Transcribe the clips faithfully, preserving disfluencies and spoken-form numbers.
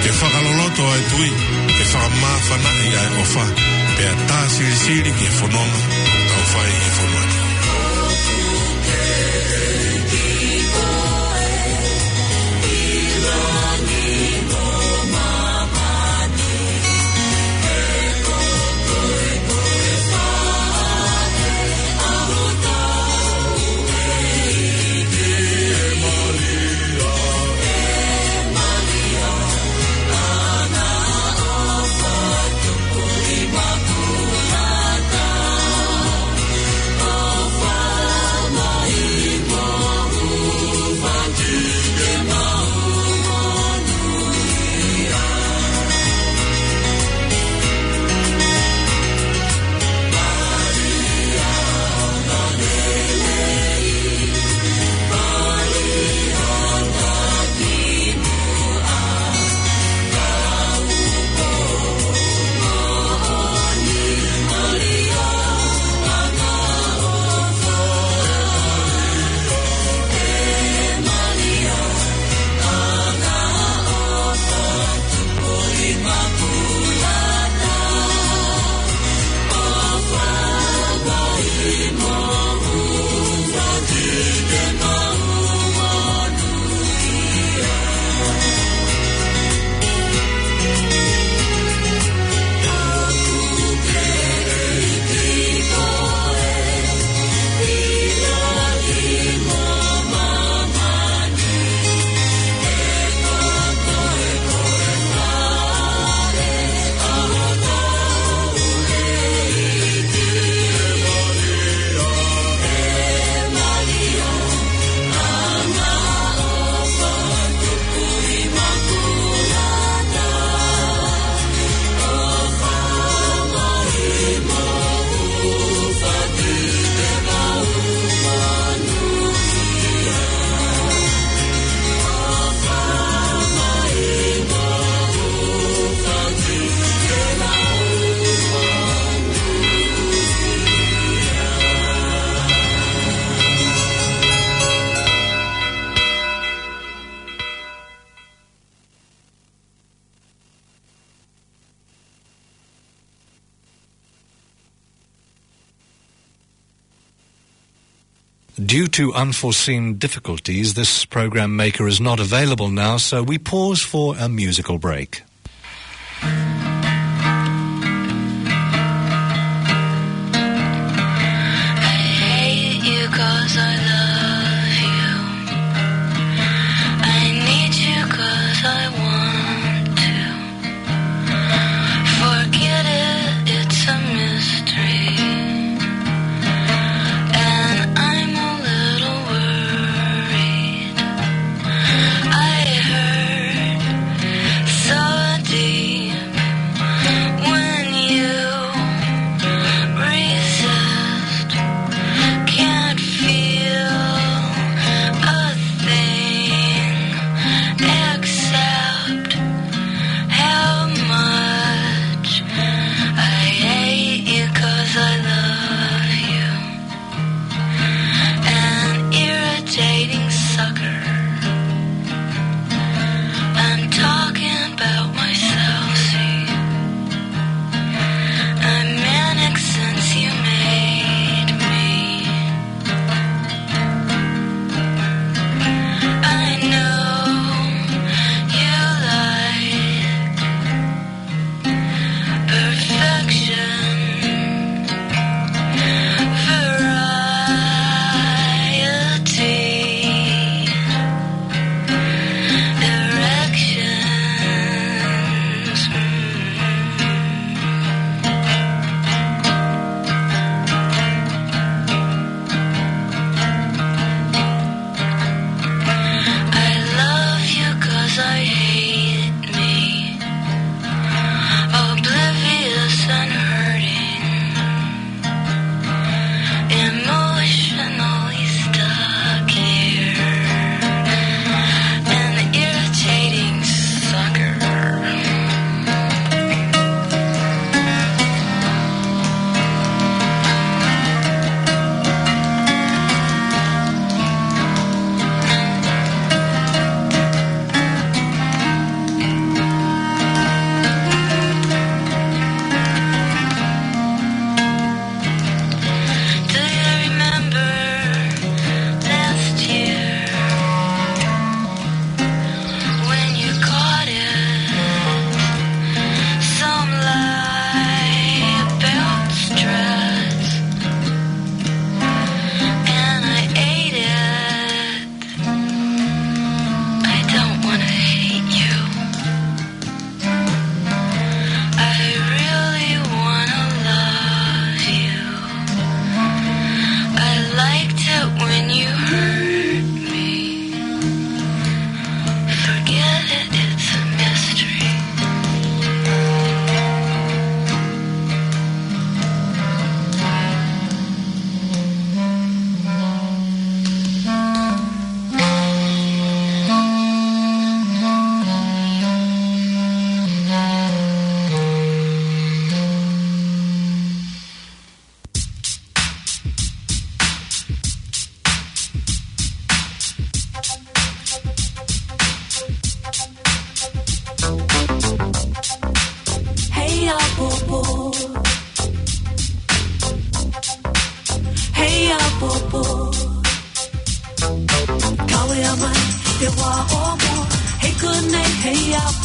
Ke fakaloloto ʻa e tui, ke fakamāfanaʻi ʻa e ʻofa, pea tā silisili ki he fononga ʻoku tau fai ʻi he fonua ni. Due to unforeseen difficulties, this program maker is not available now, so we pause for a musical break. I hate you 'cause I love you. I need you 'cause I want to. Forget it, it's a mystery. And I'm a little worried. I heard so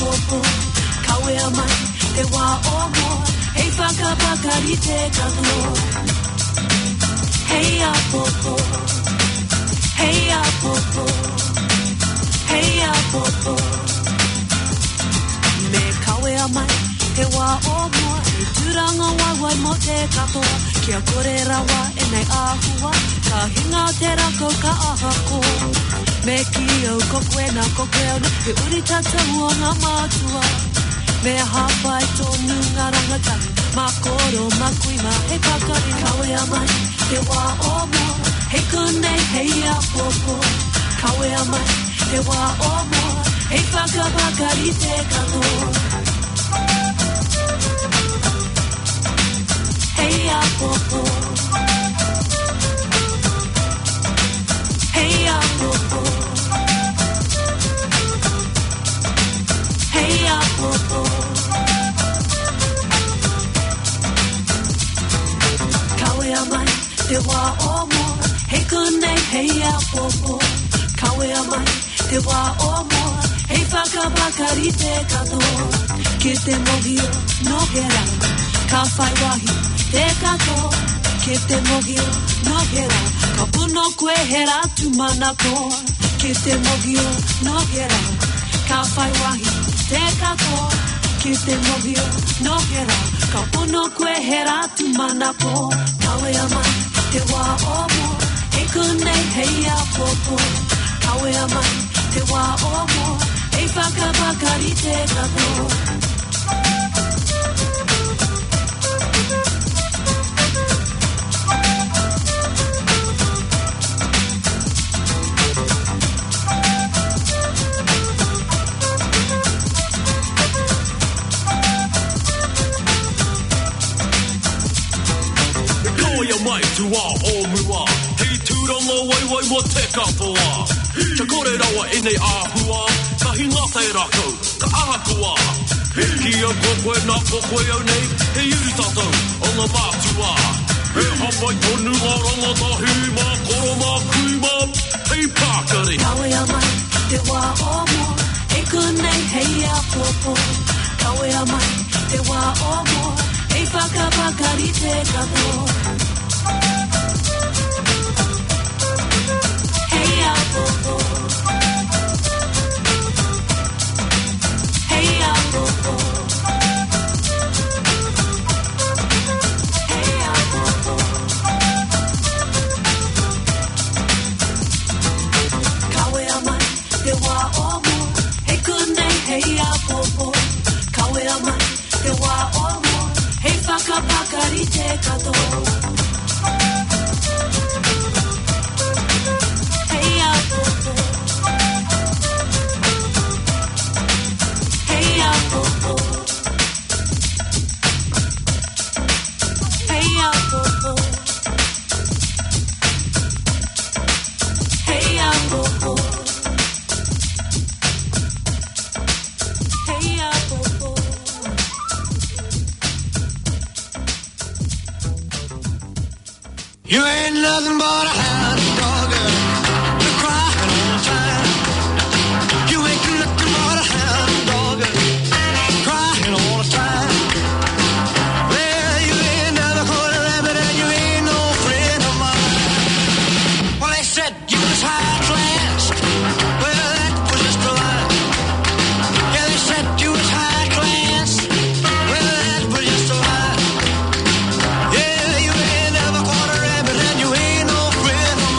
ʻApopo, kau ʻea mai te vā ʻo mua, hei fakapakari te katoa. Hei ʻapopo, hei ʻapopo, hei ʻapopo. Mea kau ʻea mai te vā ʻo mua, ʻe tūranga vaivai mo te katoa. Kia kore rawa ʻenei ʻahua, ka hinga te rākau ka ʻaha koa. Mea ki au ko koe na ko koe au na, he ʻuri tatau ʻo ngā mātua. Mea hapai tonu ngā rangatahi, mā koro, mā kui, mā hei pakari. Kau ʻea mai te vā ʻo mua, hei konei, hei ʻapopo. Kau ʻea mai te vā ʻo mua, hei fakapakari te katoa. Hei ʻapopo. Hei ʻapopo. Hei ʻapopo. Kau ʻea mai te vā ʻo mua, hei konei, hei ʻapopo. Kau ʻea mai te vā ʻo mua, hei fakapakari te katoa. Ke te mohio no hera, ka fai wahi te katoa. Ke te mohio no hera, ka pono koe hera tu manako. Ke te mohio no hera, ka fai wahi te katoa. Ke te mohio no hera, ka pono koe hera tu manako. Kau ʻea mai te vā ʻo mua, hei konei, hei ʻapopo. Kau ʻea mai te vā ʻo mua, hei fakapakari te katoa. Kau ʻea mai te vā ʻo mua, hei tūranga vaivai mo te katoa. Kia kore rawa ʻenei ʻahua, ka hinga te rākau ka ʻaha koa. Hiki au ko koe na ko koe au nei, he ʻuri tatau ʻo ngā mātua. He hapai tonu ngā rangatahi, mā koro, mā kui, mā hei pakari. Kau ʻea mai te vā ʻo mua, hei konei, hei ʻapopo. Kau ʻea mai te vā ʻo mua, hei fakapakari te katoa. Hei ʻapopo. Hei ʻapopo. Hei ʻapopo. Kau ʻea mai te vā ʻo mua, hei konei, hei ʻapopo. Kau ʻea mai te vā ʻo mua, hei fakapakari te katoa. Hei ʻapopo. Hei ʻapopo. Hei ʻapopo. Hei ʻapopo. Hei ʻapopo. You ain't nothing but a hound dog, girl. You're crying all the time. You ain't nothing but a hound dog, girl. Crying all the time. Well, you ain't never caught a rabbit and you ain't no friend of mine. Well, they said you was high class. Well, that was just a lie. Yeah, they said you was high class. Well, that was just a lie. Yeah, you ain't never caught a rabbit and you ain't no friend of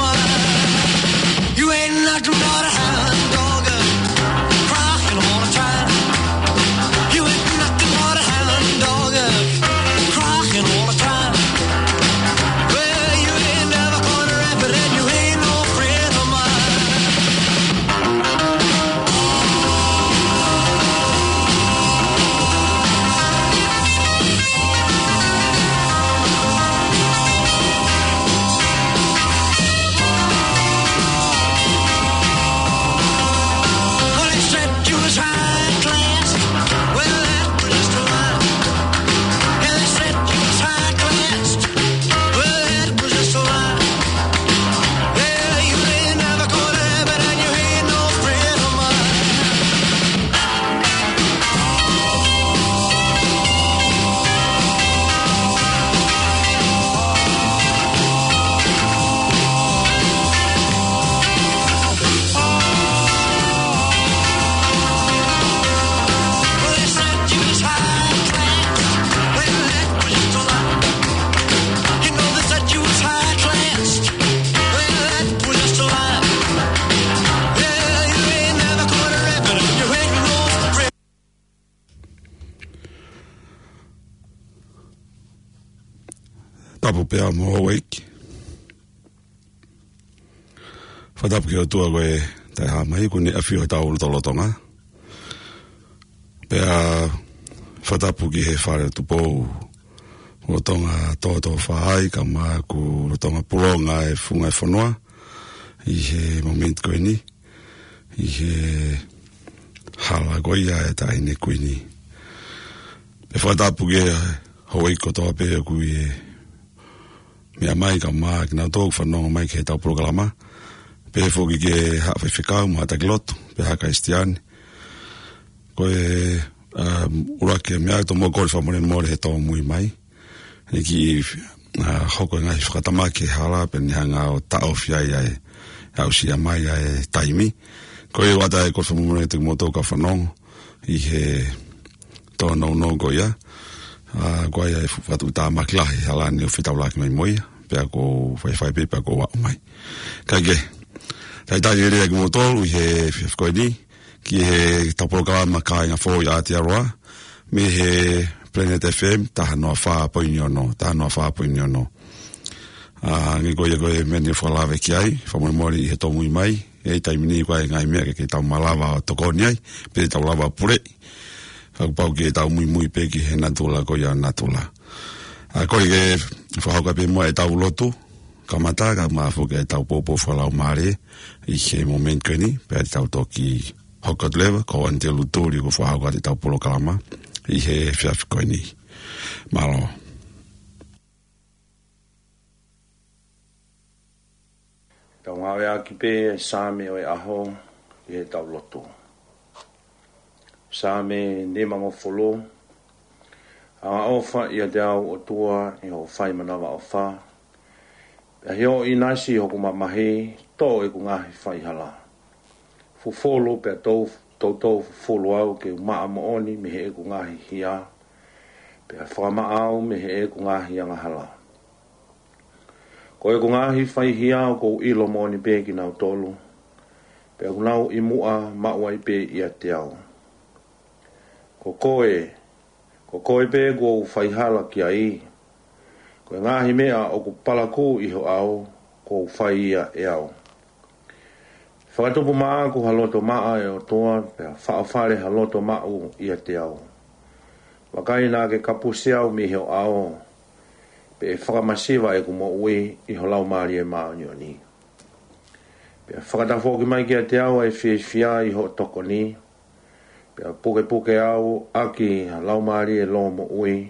Tapu pea mo houʻeiki. Fakatapu ki he ʻOtua ko e taʻehāmai kuo ne ʻafio ʻi hotau lotolotonga. Pea fakatapu ki he Fale ʻo Tupou, lolotonga tōtōfā ai, kae ʻumaʻā ʻoku lolotonga pulonga e funga e fonua ʻi he momeniti ko eni, ʻi he hala ko ia e Taʻahine Kuini. Pea fakatapu ki he houʻeiki kotoa pē ʻoku ʻi he meʻa mai, kae ʻumaʻā kinautolu ʻoku fanongo mai ki heʻetau polokalama. Pehē foki ki he Haʻa Faifekau mo e Haʻa Taki Lotu, pea Haʻa Kalisitiane. Ko e, um, ʻuluaki meʻa ʻoku ou kole fakamolemole he tōmui mai. He kiʻi, uh, hoko e ngaahi fakatamaki he hala pea ne hanga ʻo taʻofi ai ʻa e aʻusia mai ʻa e taimi. Ko ia ʻoku ou ʻoatu e kole fakamolemole kiate kimoutolu kau fanongo ʻi he tōnounou ko ia. ʻA, ko ia e fu-, fakatuʻutāmaki lahi he hala ni ʻoku fetaulaki mai mo ia. Pea ʻoku ou faifai pē, pea ʻoku ou aʻu mai. Kae kehe, talitali lelei kimoutolu ʻi he efiafi ko eni ki heʻetau polokalama Kāinga Foʻou ʻi Aotearoa, mei he Planet F M, taha noa fā poini ono, taha noa fā poini ono. ʻA, hangē ko ia ko e meʻa ne fakalave ki ai, fakamolemole ʻi he tōmui mai, ʻi he taimi ni ko e ngaahi meʻa ke, ke tau malava ʻo tokoni ai, pe tau lava ʻo puleʻi. Ka kuo pau ke tau muimui pē ki he natula ko ia natula. ʻA, ko e fakahoko pē muʻa ʻetau lotu kamata, kae ʻumaʻā foki ʻetau poupou fakalaumālie ʻi he momeniti ko eni, pea tau toki hoko atu leva, ko Anitelu Tuli ʻoku fakahoko atu ʻetau polokalama ʻi he efiafi ko eni. Mālō. Tau ngāueʻaki pē Saame ʻo e ʻaho ʻi heʻetau lotu. Saame nimangofulu. Angaʻofa ʻiate au ʻOtua ʻi hoʻo fai manavaʻofa. Pea ʻi hoʻo ʻinasi hoku mamahi, toʻo ʻeku ngaahi faihala. Fufulu pea tou, toutou fufulu au ke u maʻa moʻoni mei heʻeku ngaahi hia, pea fakamaʻa au mei heʻeku ngaahi angahala. Ko ʻeku ngaahi faihia ʻoku ou ʻilo moʻoni pē kinautolu, pea ʻoku nau ʻi muʻa maʻu ai pē ʻiate au. Ko koe, ko koe pē kuo u faihala ki ai. Ko e ngaahi meʻa ʻoku palakū ʻi ho ʻao, kuo u fai ia ʻe au. Fakatupu maʻaku ha loto maʻa ʻe ʻOtua, pea faʻofale ha loto maʻu ʻiate au. Vakai naʻa ke kapusi au mei ho ʻao, pea ʻe fakamasiva ʻeku moʻui ʻi ho Laumālie Māʻoniʻoni. Pea fakatafoki mai kiate au ʻa e fiefia ʻi hoʻo tokoni, pea pukepuke au ʻaki ha laumālie lōmoʻui.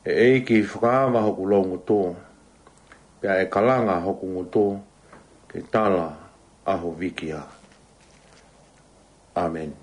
ʻE ʻEiki, fakaava hoku loungutu, pea ʻe kalanga hoku ngutu ke tala ʻa ho vīkia. ʻĀmeni.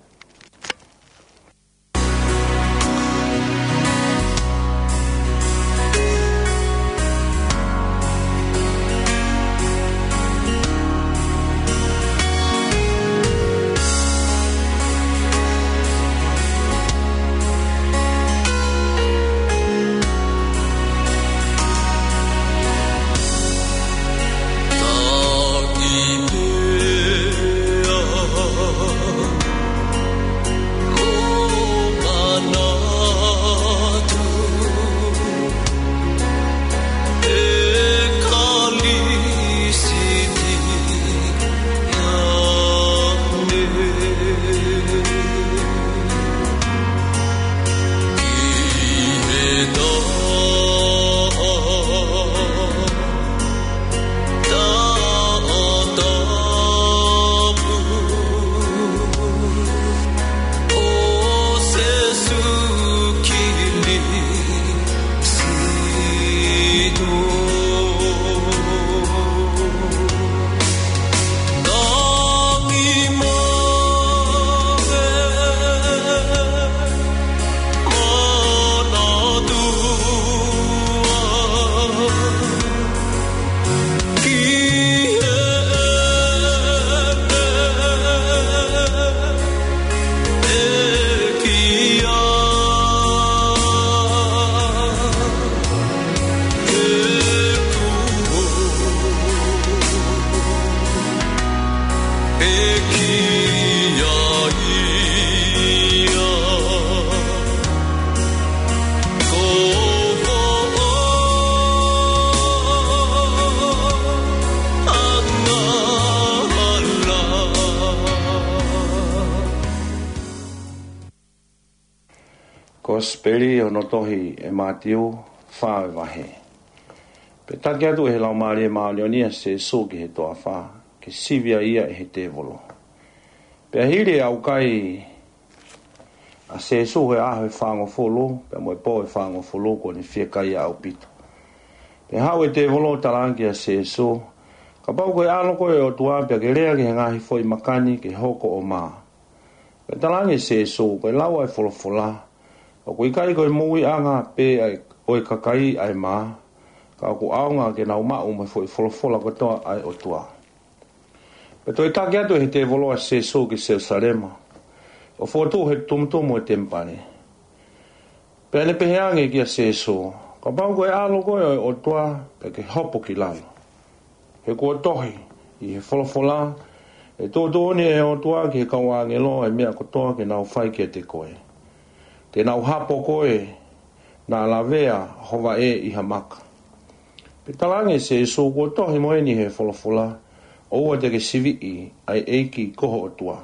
Kosipeli hono tohi ʻe Mātiu, fā ʻo e vahe. Pea taki atu ʻe he Laumālie Māʻoniʻoni ʻa Sēsū ki he toafa, ke sivi ai ia ʻe he tēvolo. Pea hili e ʻaukai ʻa Sēsū he ʻaho ʻe fāngofulu, pea mo e pō ʻe fāngofulu, kuo ne fiekaia ʻaupito. Pea haʻu e tēvolo ʻo talaange kia Sēsū, Kapau ko e ʻAlo koe ʻo e ʻOtua, pea ke lea ki he ngaahi foʻi maka ni ke hoko ʻo mā. Pea talaange ʻe Sēsū, Ko e lau ʻa e folofola, ʻOku ʻikai ko e moʻuiʻanga pē ʻa e, ʻo e kakai ʻa e mā, ka ʻoku ʻaonga ke nau maʻu mo e foʻi folofola kotoa ʻa e ʻOtua. Pea toe taki atu ʻe he tēvolo ʻa Sēsū ki Selusalema, ʻo fokotuʻu he tumutumu ʻo e temipale. Pea ne pehē ange kia Sēsū, Kapau ko e ʻAlo koe ʻo e ʻOtua, pea ke hopo ki lalo. He kuo tohi ʻi he folofola, ʻE tuʻutuʻuni ʻe he ʻOtua ki he kau ʻāngelo ʻa e meʻa kotoa ke nau fai kiate koe. Te nau hapo koe naʻa lavea ho vaʻe ʻi ha maka. Pea talaange ʻe Sēsū, Kuo tohi mo eni he folofola, ʻOua te ke siviʻi ʻa e ʻEiki ko ho ʻOtua.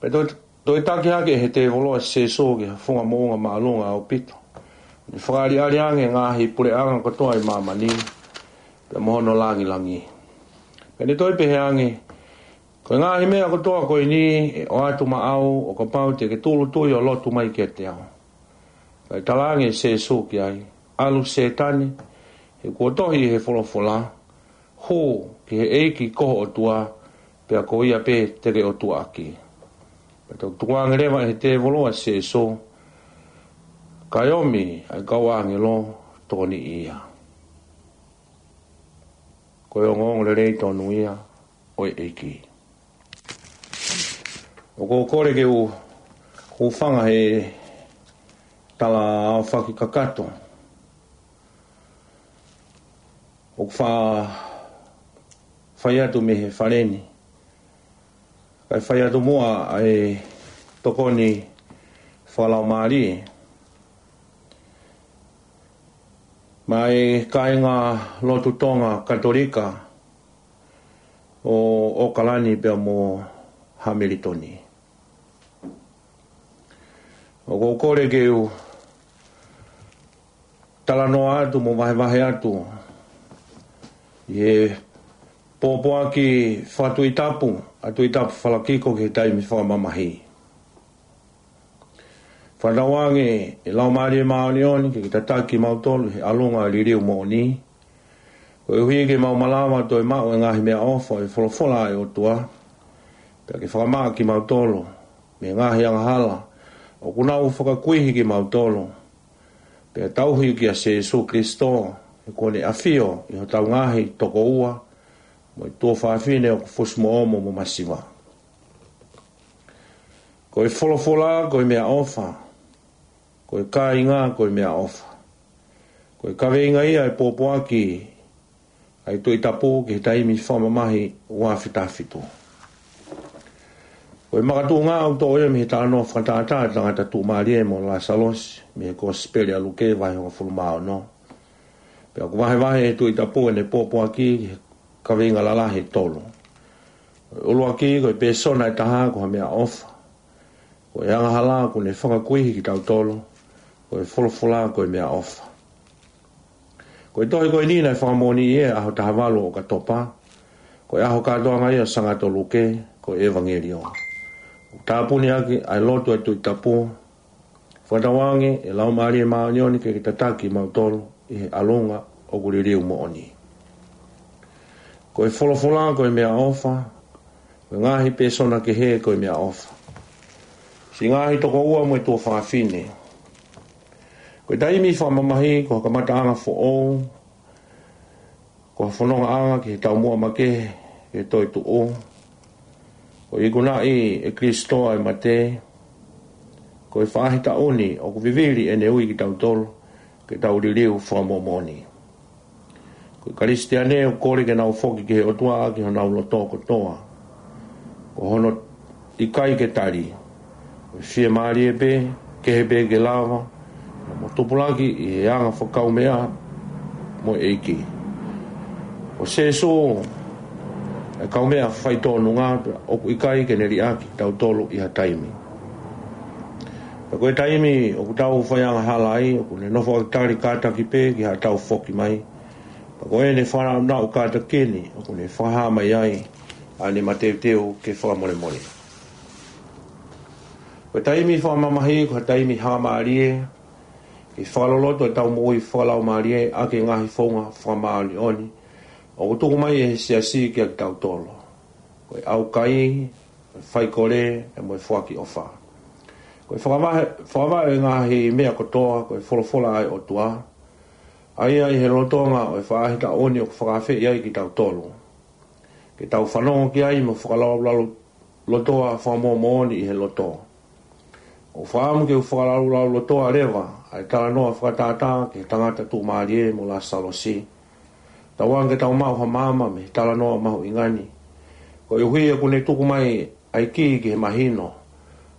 Pea toe, toe taki hake ʻe he tēvolo ʻa Sēsū ki ha funga moʻunga māʻolunga ʻaupito. Ne fakaʻaliʻali ange e ngaahi puleʻanga kotoa ʻi māmani, pea mo hono langilangi. Pea ne toe pehē ange, Ko e ngaahi meʻa kotoa ko eni ʻe ʻoatu maʻau ʻo kapau te ke tūʻulutui ʻo lotu mai kiate au. Kae talaange ʻe Sēsū ki ai, ʻAlu Sētane, he kuo tohi ʻi he folofola, Hū ki he ʻEiki ko ho ʻOtua, pea ko ia pē te ke ʻotuaʻaki. Pea toe tukuange leva ʻe he tēvolo ʻa Sēsū, kae ʻomi ʻa e kau ʻāngelo tokoniʻi ia. Ko e ongoongolelei tonu ia ʻo e ʻEiki. ʻOku ou kole ke u, u hūfanga he tala aofaki kakato ʻoku fa-, fai atu mei he fale ni. Kae fai atu muʻa ʻa e tokoni fakalaumālie maʻa e kāinga lotu Tonga Katolika ʻo ʻOkalani pea mo Hamilitoni. ʻOku ou kole ke u talanoa atu mo vahevahe atu ʻi he pōpoaki fakatuʻitapu ʻa Tuʻitapufalakiko ki he taimi fakamamahi. Fakatauange ʻe Laumālie Māʻoniʻoni ke ke tataki kimautolu he ʻalunga liliu moʻoni. Koeʻuhi ke mau malava toe maʻu e ngaahi meʻaʻofa ʻo e folofola ʻa e ʻOtua, pea ke fakamaʻa kimautolu mei he ngaahi angahala ʻoku nau fakakuihi kimautolu, pea tauhi kia Sēsū Kilisito, he kuo ne ʻafio ʻi hotau ngaahi tokoua mo e tuofāfine ʻoku fusi mo omo mo masiva. Ko e folofola ko e meʻaʻofa, ko e kāinga ko e meʻaʻofa. Ko e kaveinga ia ʻo e pōpoaki ʻa e Tuʻitapu ki he taimi fakamamahi ua afe taha fitu. Ko e makatuʻunga ʻoku toʻo ia mei he talanoa fakatātā ʻa e tangata tuʻumālie mo Lāsalosi mei he Kosipeli ʻa Luke vahe hongofulu mā ono. Pea ʻoku vahevahe ʻe he Tuʻitapu ʻene pōpoaki ki he kaveinga lalahi ʻe tolu. Ko e ʻuluaki, ko e pēsona ʻe taha ko ha meʻaʻofa. Ko e angahala kuo ne fakakuihi kitautolu, ko e folofola ko e meʻaʻofa. Ko e tohi ko eni naʻe fakamoʻoniʻi ʻi he ʻaho taha valu ʻo ʻOkatopa, ko e ʻaho kātoanga ia ʻo Sangato Luke, ko e ʻEvangelio. ʻOku tāpuni ʻaki ʻa e lotu ʻa e Tuʻitapu, fakatauange ʻe Laumālie Māʻoniʻoni ke ke tataki kimautolu ʻi he ʻalunga ʻoku liliu moʻoni. Ko e folofola ko e meʻaʻofa, ko e ngaahi pēsona kehe ko e meʻaʻofa. Siʻi ngaahi tokoua mo e tuofāfine. Ko e taimi fakamamahi ko ha kamataʻanga foʻou, ko ha fonongaʻanga ki he taumuʻa makehe, ki he toetuʻu. Ko e ikunaʻi ʻe Kilisito ʻa e mate, ko e faʻahitaʻu ni ʻoku vivili ʻene ui kitautolu ke tau liliu fakamoʻomoʻoni. Ko e Kalisitiane ʻoku kole ke nau foki ki he ʻOtua ʻaki honau loto kotoa. Ko hono ʻikai ke tali. Ko e fiemālie pē, kehe pē ke lava, mo tupulaki ʻi he anga fakakaumeʻa mo e ʻEiki. Ko Sēsū ʻa e kaumeʻa faitōnunga pea ʻoku ʻikai ke ne liʻaki kitautolu ʻi ha taimi. Pea ko e taimi ʻoku tau faiangahala ai, ʻoku ne nofo ʻo tali kātaki pē ki haʻatau foki mai. Pea ko ʻene fanauʻau kātaki ni, ʻoku ne fakahā mai ai ʻa ʻene mateuteu ke fakamolemole. Ko e taimi fakamamahi, ko e taimi hangamālie, ke fakaloloto ʻetau moʻui fakalaumālie ʻaki e ngaahi founga fakamāʻoniʻoni ʻoku tuku mai ʻe he siasi kiate kitautolu. Ko e ʻaukai, ko e faikole, pea mo e foaki ʻofa. Ko e fakavaʻe, fakavaʻe e ngaahi meʻa kotoa, ko e folofola ʻa e ʻOtua. ʻA ia ʻi he lolotonga ʻo e faʻahitaʻu ni ʻoku fakaafeʻi ai kitautolu ke tau fanongo ki ai mo fakalaulaulotoa fakamoʻoni ʻi he loto. ʻOku ou fakaʻamu ke u fakalaulaulotoa leva ʻa e talanoa fakatātā ki he tangata tuʻumālie mo Lāsalosi. Tauange ke tau maʻu ha maama mei he talanoa mahuʻinga ni. Koeʻuhi ʻoku ne tuku mai ʻa e kī ki he mahino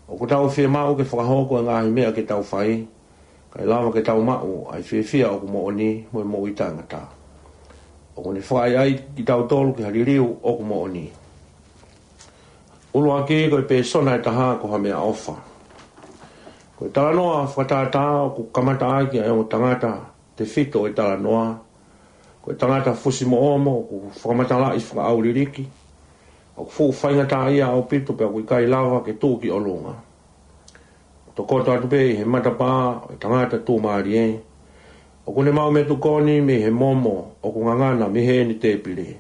ʻoku tau fiemaʻu ke fakahoko e ngaahi meʻa ke tau fai, kae lava ke tau maʻu ʻa e fiefia ʻoku moʻoni mo e moʻui taʻengata. ʻOku ne fakaʻaiʻai kitautolu ki ha liliu ʻoku moʻoni. ʻUluaki, ko e pēsona ʻe taha ko ha meʻaʻofa. Ko e talanoa fakatātā ʻoku kamata ʻaki ʻa e ongo tangata tefito ʻo e talanoa. Ko e tangata fusimoʻomo ʻoku fakamatalaʻi fakaʻauliliki, ʻoku fuʻu faingataʻaʻia ʻaupito pea ʻoku ʻikai lava ke tuʻu ki ʻolunga. Tokoto atu pē ʻi he matapā ʻo e tangata tuʻumālie. ʻOku ne maʻu meʻatokoni mei he momo ʻoku ngangana mei heʻene tēpile.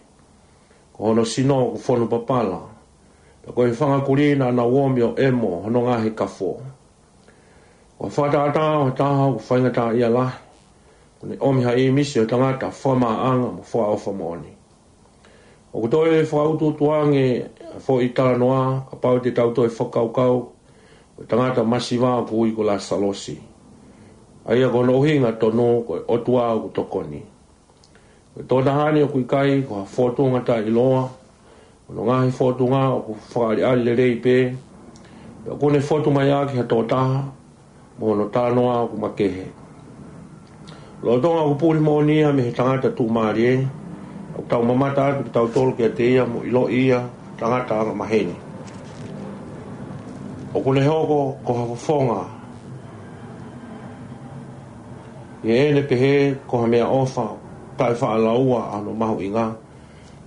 Ko hono sino ʻoku fonu papala, pea ko e fanga kulī naʻa nau omi ʻo ʻemo hono ngaahi kafo. Ko e fakatātā ʻo ha taha ʻoku faingataʻaʻia lahi, ʻoku ne ʻomi ha ʻīmisi ʻo e tangata fakamaʻanga mo fakaʻofa moʻoni. ʻOku toe fakautuutu ange ʻa e foʻi talanoa kapau te tau toe fakakaukau, ko e tangata masiva ʻoku ui ko Lāsalosi. ʻA ia ko hono ʻuhinga tonu ko e ʻOtua ʻoku tokoni. Ko e tokotaha ni ʻoku ʻikai ko ha fōtunga taʻeʻiloa, ko hono ngaahi fōtunga ʻoku fakaʻaliʻali lelei pē, pea ʻoku ne fotu mai ʻaki ha tokotaha mo hono talanoa ʻoku makehe. Lolotonga ʻoku puli moʻoni ia mei he tangata tuʻumālie, ʻoku tau mamata atu kitautolu kiate ia mo ʻiloʻi ia tangata angamaheni. ʻOku ne hoko ko ha fofonga ʻi heʻene pehē ko ha meʻaʻofa taʻefaʻalaua ʻa hono mahuʻinga.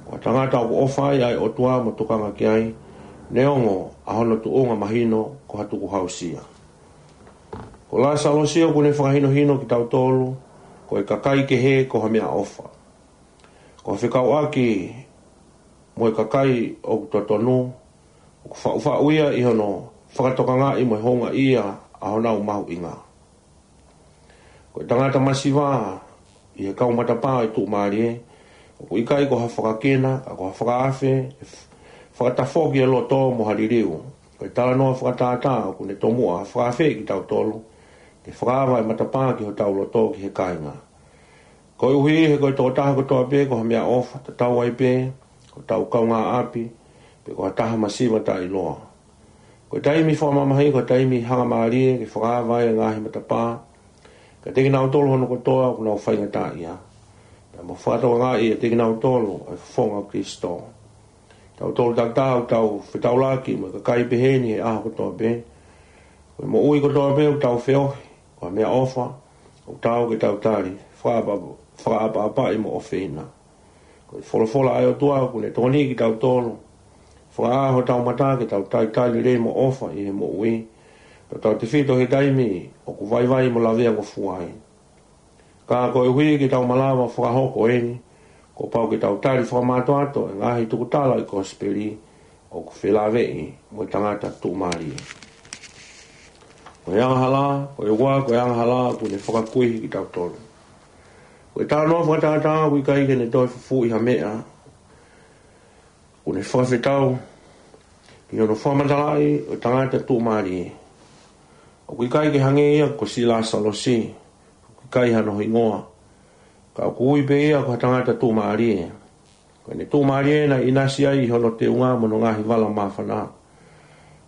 Ko ha tangata ʻoku ʻofa ai ʻa e ʻOtua mo tokanga ki ai, neongo ʻa hono tuʻunga mahino ko ha tukuhausia. Ko Lāsalosi ʻoku ne fakahinohino kitautolu ko e kakai kehe ko ha meʻaʻofa. Ko e fekauʻaki mo e kakai ʻoku totonu, ʻoku faʻufaʻu ia ʻi hono fakatokangaʻi mo e houngaʻia ʻa honau mahuʻinga. Ko e tangata masiva ʻi he kau matapā ʻo e tuʻumālie, ʻoku ʻikai ko ha fakakina, ka ko ha fakaafe, fakatafoki e loto mo ha liliu. Ko e talanoa fakatātā ʻoku ne tomuʻa fakaafeʻi kitautolu ke fakaava e matapā ki hotau loto ki he kāinga. Koeʻuhi he ko e tokotaha kotoa pē ko ha meʻaʻofa, tatau ai pē ko hotau kaungāʻapi, pe ko ha taha masiva taʻeʻiloa. Ko e taimi fakamamahi, ko e taimi hangamālie ke fakaava e ngaahi matapā kiate kinautolu hono kotoa ʻoku nau faingataʻaʻia, pea mo fakatokangaʻi ʻiate kinautolu ʻa e fofonga ʻo Kalaisi. Tautolu takitaha ʻoku tau fetaulaki mo e kakai pehē ni he ʻaho kotoa pē. Ko e moʻui kotoa pē ʻoku tau feohi ko ha meʻaʻofa ʻoku taau ke tau tali fakaʻapa-, fakaʻapaʻapaʻi mo ʻofeina. Ko e folofola ʻa e ʻOtua ʻoku ne tokoniʻi kitautolu, fakaʻā hotau mata ke tau talitali lelei mo ʻofa ʻi he moʻui, tautautefito he taimi ʻoku vaivai mo laveangofua ai. Ka koeʻuhi ke tau malava fakahoko eni, kuo pau ke tau tali fakamātoato e ngaahi tukutala ʻo e kosipeli ʻoku felāveʻi mo e tangata tuʻumālie. Ko e angahala, ko e ua, ko e angahala ʻoku ne fakakuihi kitautolu. Ko e talanoa fakatātā ʻoku ʻikai ke ne toe fufuuʻi ha meʻa, ʻoku ne fakafetau ki hono fakamatalaʻi ʻo e tangata tuʻumālie. ʻOku ʻikai ke hangē ia ko Lāsalosi, ʻoku ʻikai hano hingoa, ka ʻoku ui pē ia ko ha tangata tuʻumālie. Ko ʻene tuʻumālie naʻe ʻinasi ai ʻi hono teunga mo hono ngaahi vala māfana.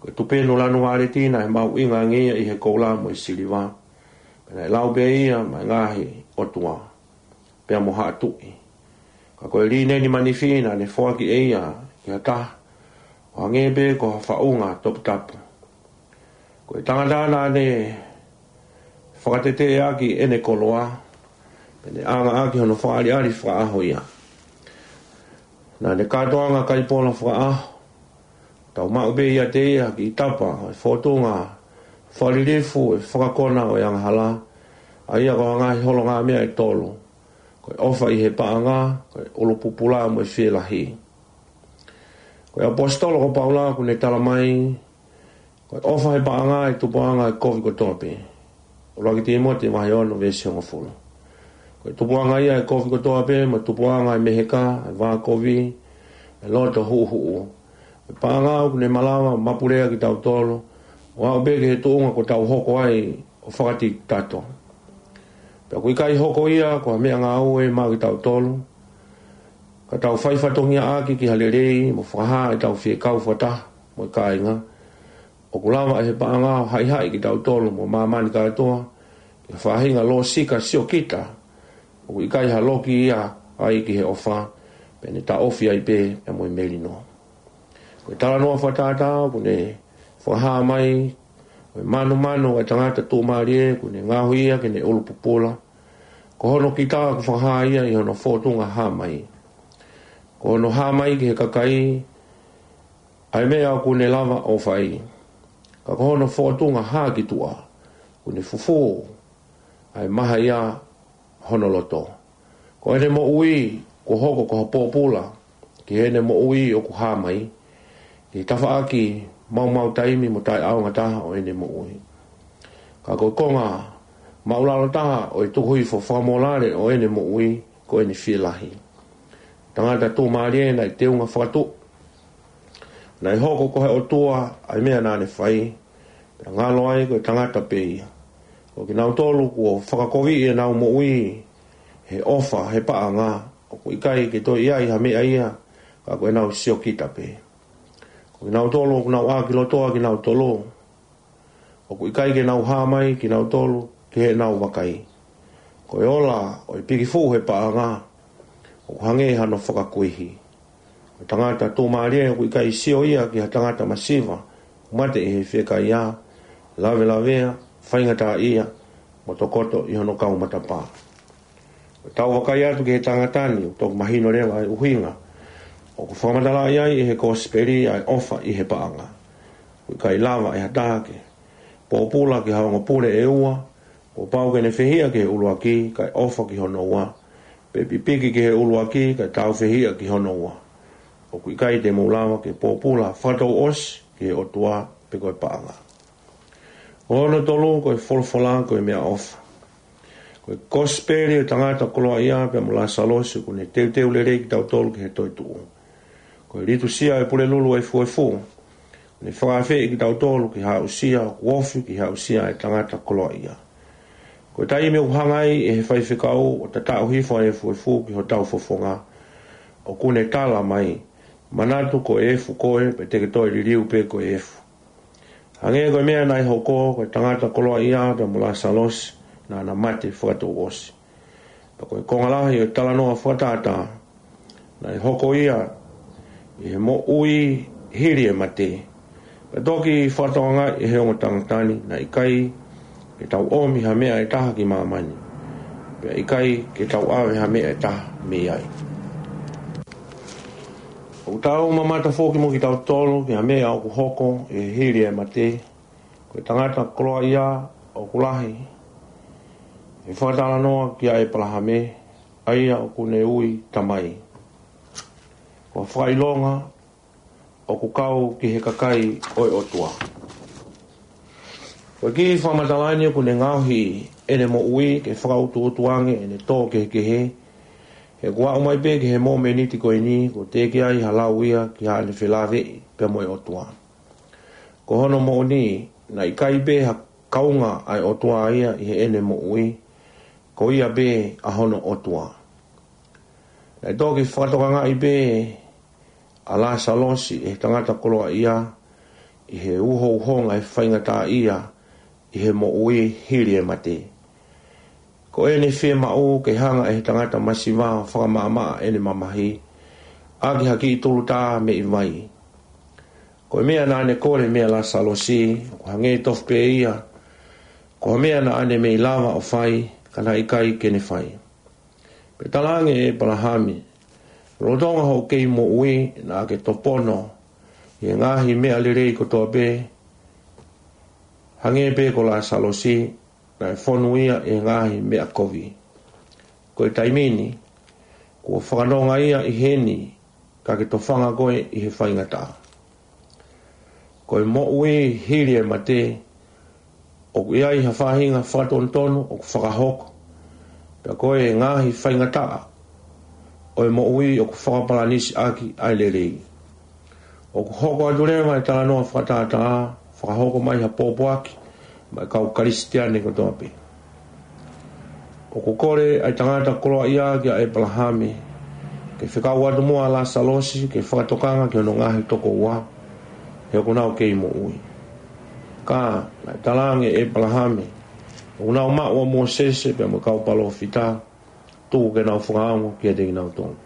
Ko e tupenu lanu vāleti naʻe mahuʻinga ange ia ʻi he koula mo e siliva, pea naʻe lau pē ia maʻa e ngaahi ʻotua pea mo haʻa tuʻi. Ka ko e līneni manifi naʻa ne foaki ʻe ia ki ha taha, ʻoku hangē pē ko ha faʻunga toputapu. Ko e tangata naʻa ne fakateteʻeʻaki ʻene koloa, pea ne ʻangaʻaki hono fakaʻaliʻali fakaʻaho ia. Naʻa ne kātoanga kaipola fakaʻaho, tau maʻu pē ʻiate ia ha kiʻi tapa ʻo e fōtunga fakalilifu ʻo e fakakona ʻo e angahala, ʻa ia ko e ngaahi holongaʻamea ʻe tolu: ko e ʻofa ʻi he paʻanga, ko e ʻulu pupula mo e fielahi. Ko e ʻaposetolo ko Paula ʻoku ne tala mai, ko e ʻofa he paʻanga ʻe tupuʻanga ʻa e kovi kotoa pē. ʻUluaki Tīmote vahe ono veesi hongofulu. Ko e tupuʻanga ia ʻa e kovi kotoa pē, mo e tupuʻanga ʻa e meheka, ʻa e vākovi, ʻa e loto huʻuhuʻu. Ko e paʻanga ʻoku ne malava ʻo mapulea kitautolu ʻo aʻu pē ki he tuʻunga kuo tau hoko ai ʻo fakatitotato. Pea ʻoku ʻikai hoko ia ko ha meʻangāue maʻa kitautolu, ka tau fai fatongiaʻaki ki ha lelei mo fakahā ʻetau fiekaú fakataha mo e kāinga. ʻOku lava ʻe he paʻanga ʻo haʻihaʻi kitautolu mo māmani kātoa ki ha faʻahinga lōsika siokita ʻoku ʻikai ha loki ia ai ki he ʻofa, pea ne taʻofi ai pē pea mo e melino. Ko e talanoa fakatātā ʻoku ne fakahā mai, ko e manumanu ʻa e tangata tuʻumālie ʻoku ne ngaohi ia ke ne ʻulu pupula, ko hono kita ʻoku fakahā ia ʻi hono fōtunga hā mai. Ko hono hā mai ki he kakai ʻa e meʻa ʻoku ne lava ʻo fai, ka ko hono fōtunga hā ki tuʻa ʻoku ne fufū ʻa e mahaia hono loto. Ko ʻene moʻui kuo hoko ko ha pōpula ki heʻene moʻui ʻoku hā mai, ki he tafaʻaki maumau taimi mo taʻeʻaonga taha ʻo ʻene moʻui. Ka ko e konga māʻulalo taha ʻo e tukuhifo fakamōlale ʻo ʻene moʻui ko ʻene fielahi. Tangata tuʻumālie naʻe teunga fakatuʻu. Naʻe hoko ko e ʻOtua ʻa e meʻa naʻa ne fai, pea ngalo ai ko e tangata pē ia. Ko kinautolu kuo fakakoviʻi ʻenau moʻui he ʻofa he paʻanga, ʻoku ʻikai ke toe ʻi ai ha meʻa ia ka ko ʻenau siokita pē. Ko kinautolu ʻoku nau ʻākilotoa kinautolu, ʻoku ʻikai ke nau hā mai kinautolu ki heʻenau vakai. Ko e ola ʻo e pikifuʻu he paʻanga ʻoku hangē hano fakakuihi. Ko e tangata tuʻumālie ʻoku ʻikai sio ia ki ha tangata masiva ʻoku mate ʻi he fiekaia, lavelavea, faingataʻaʻia, mo tokoto ʻi hono kau matapā. Ko ʻetau vakai atu ki he tangata ni, ʻoku toki mahino leva ʻa e ʻuhinga ʻoku fakamatalaʻi ai ʻe he Kosipeli ʻa e ʻofa ʻi he paʻanga. ʻOku ʻikai lava ʻe ha taha ke pōpula ki ha ongo pule ʻe ua, kuo pau ke ne fehiʻa ki he ʻuluaki, kae ʻofa ki hono ua, pe pipiki ki he ʻuluaki, kae tāufehiʻa ki hono ua. ʻOku ʻikai te mou lava ke pōpula fakatouʻosi ki he ʻOtua pe ko e paʻanga. Ko hono tolu, ko e folofola ko e meʻaʻofa. Ko e Kosipeli ʻo e tangata koloaʻia pea mo Lāsalosi ʻoku ne teuteu lelei kitautolu ki he toetuʻu. Ko e Litūsia ʻo e Pulelulu Efuefu ʻoku ne fakaafeʻi kitautolu ki ha aʻusia ʻoku ofi ki he aʻusia ʻa e tangata koloaʻia. Ko e taimi ʻoku hanga ai ʻe he faifekau ʻo tataʻu hifo ʻa e efuefu ki hotau fofonga, ʻoku ne tala mai, manatu ko e efu koe, pea te ke toe liliu pē ko e efu. Hangē ko e meʻa naʻe hoko, ko e tangata koloaʻia pea mo Lāsalosi naʻa na mate fakatouʻosi. Pea ko e konga lahi ʻo e talanoa fakatātā, naʻe hoko ia ʻi he moʻui hili e mate. Pea toki fakatokangaʻi ʻe he ongo tangata ni, naʻe ʻikai ke tau ʻomi ha meʻa ʻe taha ki māmani, pea ʻikai ke tau ʻave ha meʻa ʻe taha mei ai. ʻOku tau mamata foki mo kitautolu ki ha meʻa ʻoku hoko ʻi he hili e mate. Ko e tangata koloaʻia ʻoku lahi e fakatalanoa kia ʻĒpalahame, ʻa ia ʻoku ne ui tamai. Ko e fakaʻilonga ʻoku kau ki he kakai ʻo e ʻOtua. Ko e kiʻi fakamatala ni ʻoku ne ngaohi ʻene moʻui ke fakautuutu ange ʻene tō kehekehe, he kuo aʻu mai pē ki he momeniti ko eni kuo teʻeki ai ha lau ia ki haʻane felāveʻi pea mo e ʻOtua. Ko hono moʻoni, naʻe ʻikai pē ha kaunga ʻa e ʻOtua ia ʻi heʻene moʻui, ko ia pē ʻa hono ʻOtua. Naʻe toki fakatokangaʻi pē ʻa Lāsalosi ʻe he tangata koloaʻia ʻi he uhouhonga e faingataʻaʻia ʻi he moʻui hili e mate. Ko ʻene fiemaʻu ke hanga ʻe he tangata masiva ʻo fakamaʻamaʻa ʻene mamahi ʻaki ha kiʻi tulutā meʻi vai. Ko e meʻa naʻa ne kole meia Lāsalosi, ʻoku hangē tofu pē ia ko e meʻa naʻa ne mei lava ʻo fai, ka naʻe ʻikai ke ne fai. Pea talaange ʻe ʻĒpalahame, lolotonga hoʻo kei moʻui, naʻa ke topono ʻi he ngaahi meʻa lelei kotoa pē, hangē pē ko Lāsalosi, naʻe fonu ia ʻi he ngaahi meʻa kovi. Ko e taimi ni, kuo fakanonga ia ʻi heni, ka ke tofanga koe ʻi he faingataʻa. Ko e moʻui hili e mate, ʻoku ʻi ai ha faʻahinga fakatonutonu ʻoku fakahoko, pea ko e ngaahi faingataʻa ʻo e moʻui ʻoku fakapalanisi ʻaki ʻa e lelei. ʻOku hoko atu leva e talanoa fakatātā, fakahoko mai ha pōpoaki maʻa e kau Kalisitiane kotoa pē. ʻOku kole ʻa e tangata koloaʻia kia ʻĒpalahame ke fekau atu muʻa ʻa Lāsalosi ke fakatokanga ki hono ngaahi tokoua, he ʻoku nau kei moʻui. Ka naʻe talaange ʻe ʻĒpalahame, ʻoku nau maʻu ʻa Mōsese pea mo e kau palōfita, tuku ke nau fakaongo kiate kinautolu.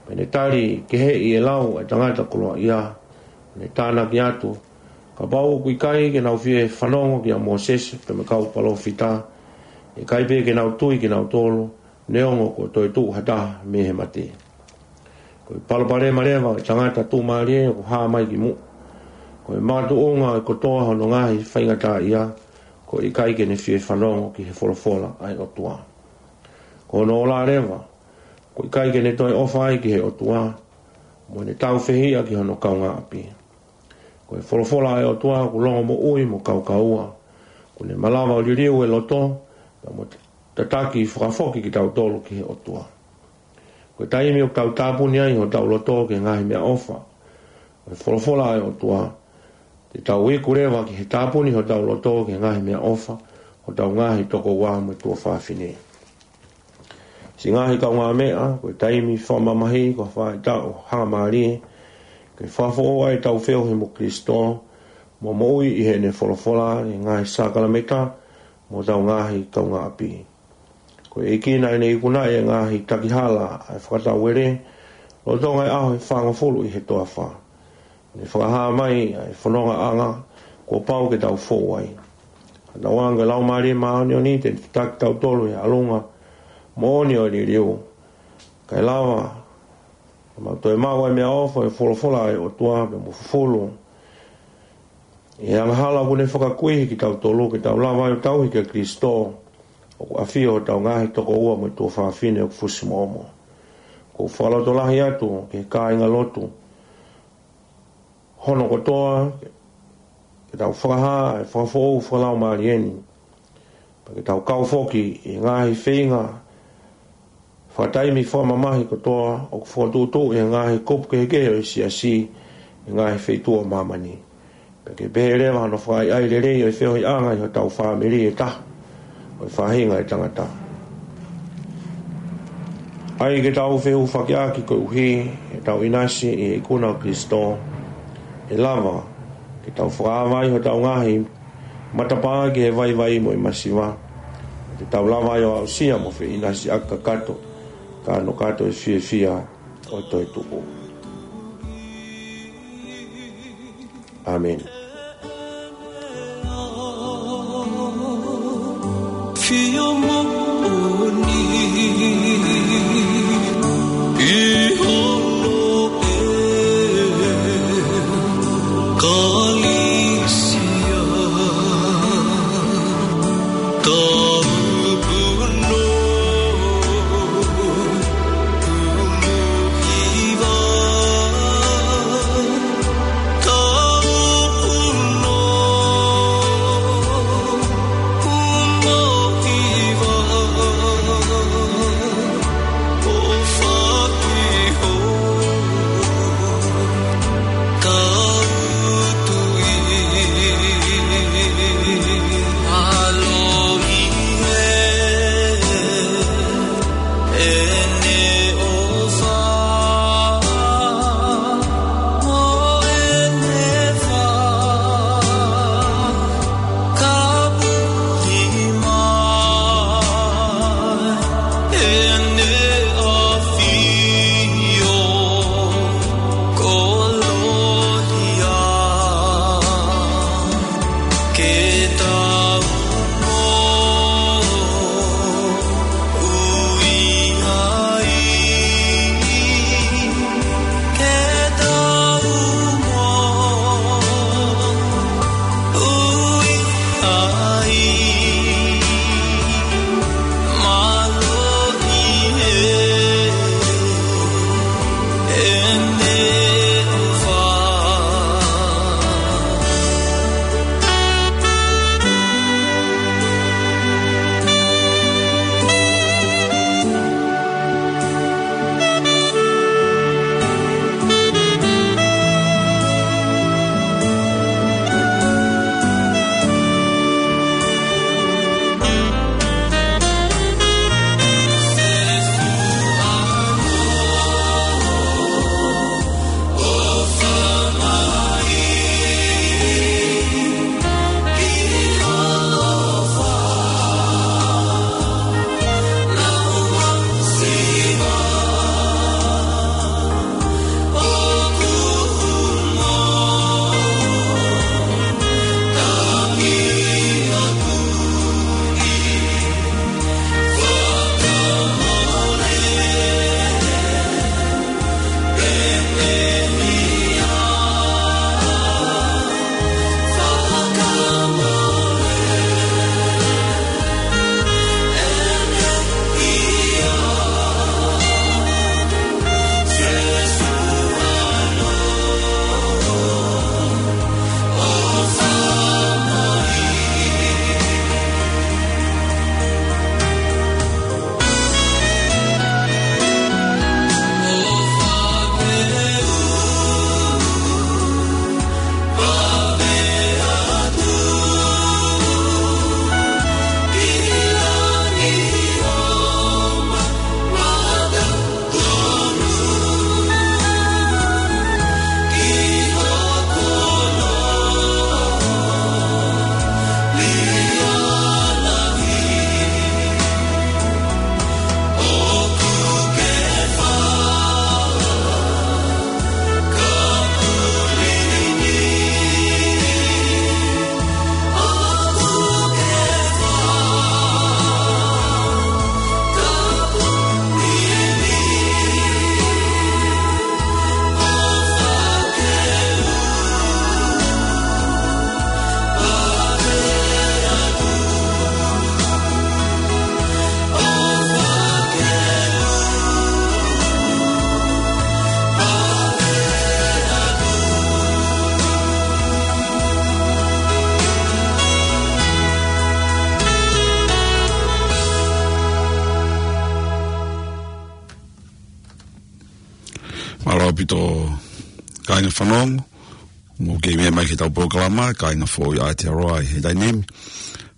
Pea ne tali keheʻi e lau ʻa e tangata koloaʻia, ne tānaki atu, kapau ʻoku ʻikai ke nau fie fanongo kia Mōsese pea mo e kau palōfita, ʻe ʻikai pē ke nau tui kinautolu, neongo kuo toetuʻu ha taha mei he mate. Ko e palopalema leva ʻo e tangata tuʻumālie ʻoku hā mai ki muʻa, ko e makatuʻunga ʻo e kotoa hono ngaahi faingataʻaʻia, ko e ʻikai ke ne fie fanongo ki he folofola ʻa e ʻOtua. Ko hono ola leva, ʻoku ʻikai ke ne toe ʻofa ai ki he ʻOtua, mo ne taufehiʻa ki hono kaungāʻapi. Ko e folofola ʻa e ʻOtua ʻoku longomoʻui mo kaukaua, ʻoku ne malava ʻo liliu e loto, pea mo tataki fakafoki kitautolu ki he ʻOtua. Ko e taimi ʻoku tau tāpuni ai hotau loto ki he ngaahi meʻaʻofa ʻo e folofola ʻa e ʻOtua, te tau iku leva ki he tāpuni hotau loto ki he ngaahi meʻaʻofa ʻo hotau ngaahi tokoua mo e tuofāfine. Siʻi ngaahi kaungāmeʻa, ko e taimi fakamamahi ko ha faʻahitaʻu hangamālie ke fakafoʻou ai ʻetau feohi mo Kalaisi, mo moʻui ʻi heʻene folofola, ʻi he ngaahi sākalamēniti, mo hotau ngaahi kaungāʻapi. Ko e ʻEiki naʻa ne ikunaʻi e ngaahi takihala ʻa e fakatauele, lolotonga e ʻaho ʻe fāngofulu ʻi he toafa. Ne fakahā mai ʻa e fonongaʻanga kuo pau ke tau fou ai. Ka tau anga e Laumālie Māʻoniʻoni te ne tataki kitautolu ʻi he ʻalunga moʻoni ʻo e liliu, kae lava ke mau toe maʻu ʻa e meʻaʻofa ʻo e folofola ʻa e ʻOtua pea mo fufulu ʻi he angahala ʻoku ne fakakuihi kitautolu, ke tau lava ai ʻo tauhi kia Kalaisi, ʻoku ʻafio hotau ngaahi tokoua mo e tuofāfine ʻoku fusimoʻomo. ʻOku ou fakalotolahi atu ki he kāingalotu hono kotoa, ke tau fakahā e fakafoʻou fakalaumālie ni, pea ke tau kau foki ʻi he ngaahi feinga fakataimi fakamamahi kotoa ʻoku fokotuʻutuʻu ʻe he ngaahi kupu kehekehe ʻo e siasi ʻi he ngaahi feituʻu ʻo māmani. Pea ke pehē leva hono fakaʻaiʻai lelei ʻo e feohiʻanga ʻi hotau fāmili ʻe taha, ʻo e faʻahinga ʻo e tangata. ʻAi ke tau fehufakiʻaki koeʻuhi ʻetau ʻinasi ʻi he ikuna ʻo Kalaisi, ʻe lava ke tau fakaava ai hotau ngaahi matapā ki he vaivai mo e masiva, te tau lava ai ʻo aʻusia mo feʻinasiʻaki kakato, kanokato e fiefia ʻo e toetuʻu. ʻĀmeni. Fie moʻoni ʻi hono ʻEkalisia. Taupuno, puno hiva. Taupuno, puno hiva. ʻOfa ki ho tau tui. Alohi ʻaupito kāinga fanongo, mou kei meʻa mai ki heʻetau polokalama, Kāinga Foʻou ʻi Aotearoa ʻi he taimi ni.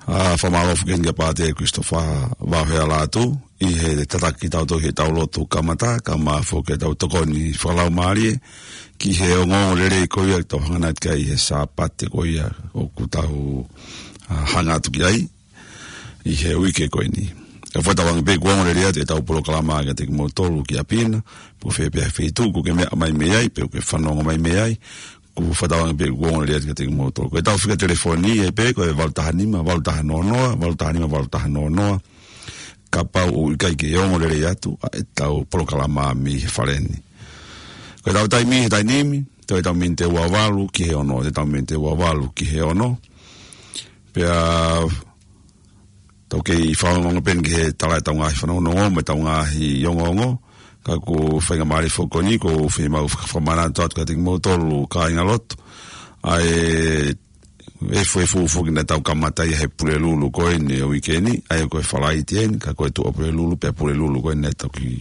ʻA, fakamālō foki kia Pātele Christopher Vaohea Lātū, ʻi he tataki kitautolu heʻetau lotu kamata, kae ʻumaʻā foki ʻetau tokoni fakalaumālie, ki he ongoongo lelei ko ia ʻoku tau hanga atu ki ai he Sāpate ko ia ʻoku tau, ʻa, hanga atu ki ai ʻi he uike ko eni. ʻOku fakatauange pē kuo ongo lelei atu ʻetau polokalama kiate kimoutolu ki ʻapi na, pe ko fē pē ha feituʻu ʻoku ke meʻa mai mei ai, pe ʻoku ke fanongo mai mei ai, ʻoku fakatauange pē kuo ongo lelei atu kiate kimoutolu. Ko ʻetau fika telefoni ʻe pē, ko e valu taha nima, valu taha noa noa, valu taha nima, valu taha noa noa, kapau ʻoku ʻikai ke ongo lelei atu ʻa ʻetau polokalama mei he fale ni. Ko ʻetau taimi he taimi ni, toe ʻetau miniti ʻe ua valu ki he ono, toe ʻetau miniti ʻe ua valu ki he ono. Pea tau kei fakaongoongo pē eni ki he tala ʻetau ngaahi fanongonongo mo ʻetau ngaahi ongoongo. Ka ko e faingamālie foki ko eni, ʻoku ou fiemaʻu faka-, fakamanatu atu kiate kimoutolu kāinga lotu, ʻa e efuefu foki naʻa tau kamata ia he Pulelulu ko eni ʻo e uike ni, ʻa ia ko e Falaite eni, ka ko e Tuʻapulelulu, pea Pulelulu ko eni naʻe toki,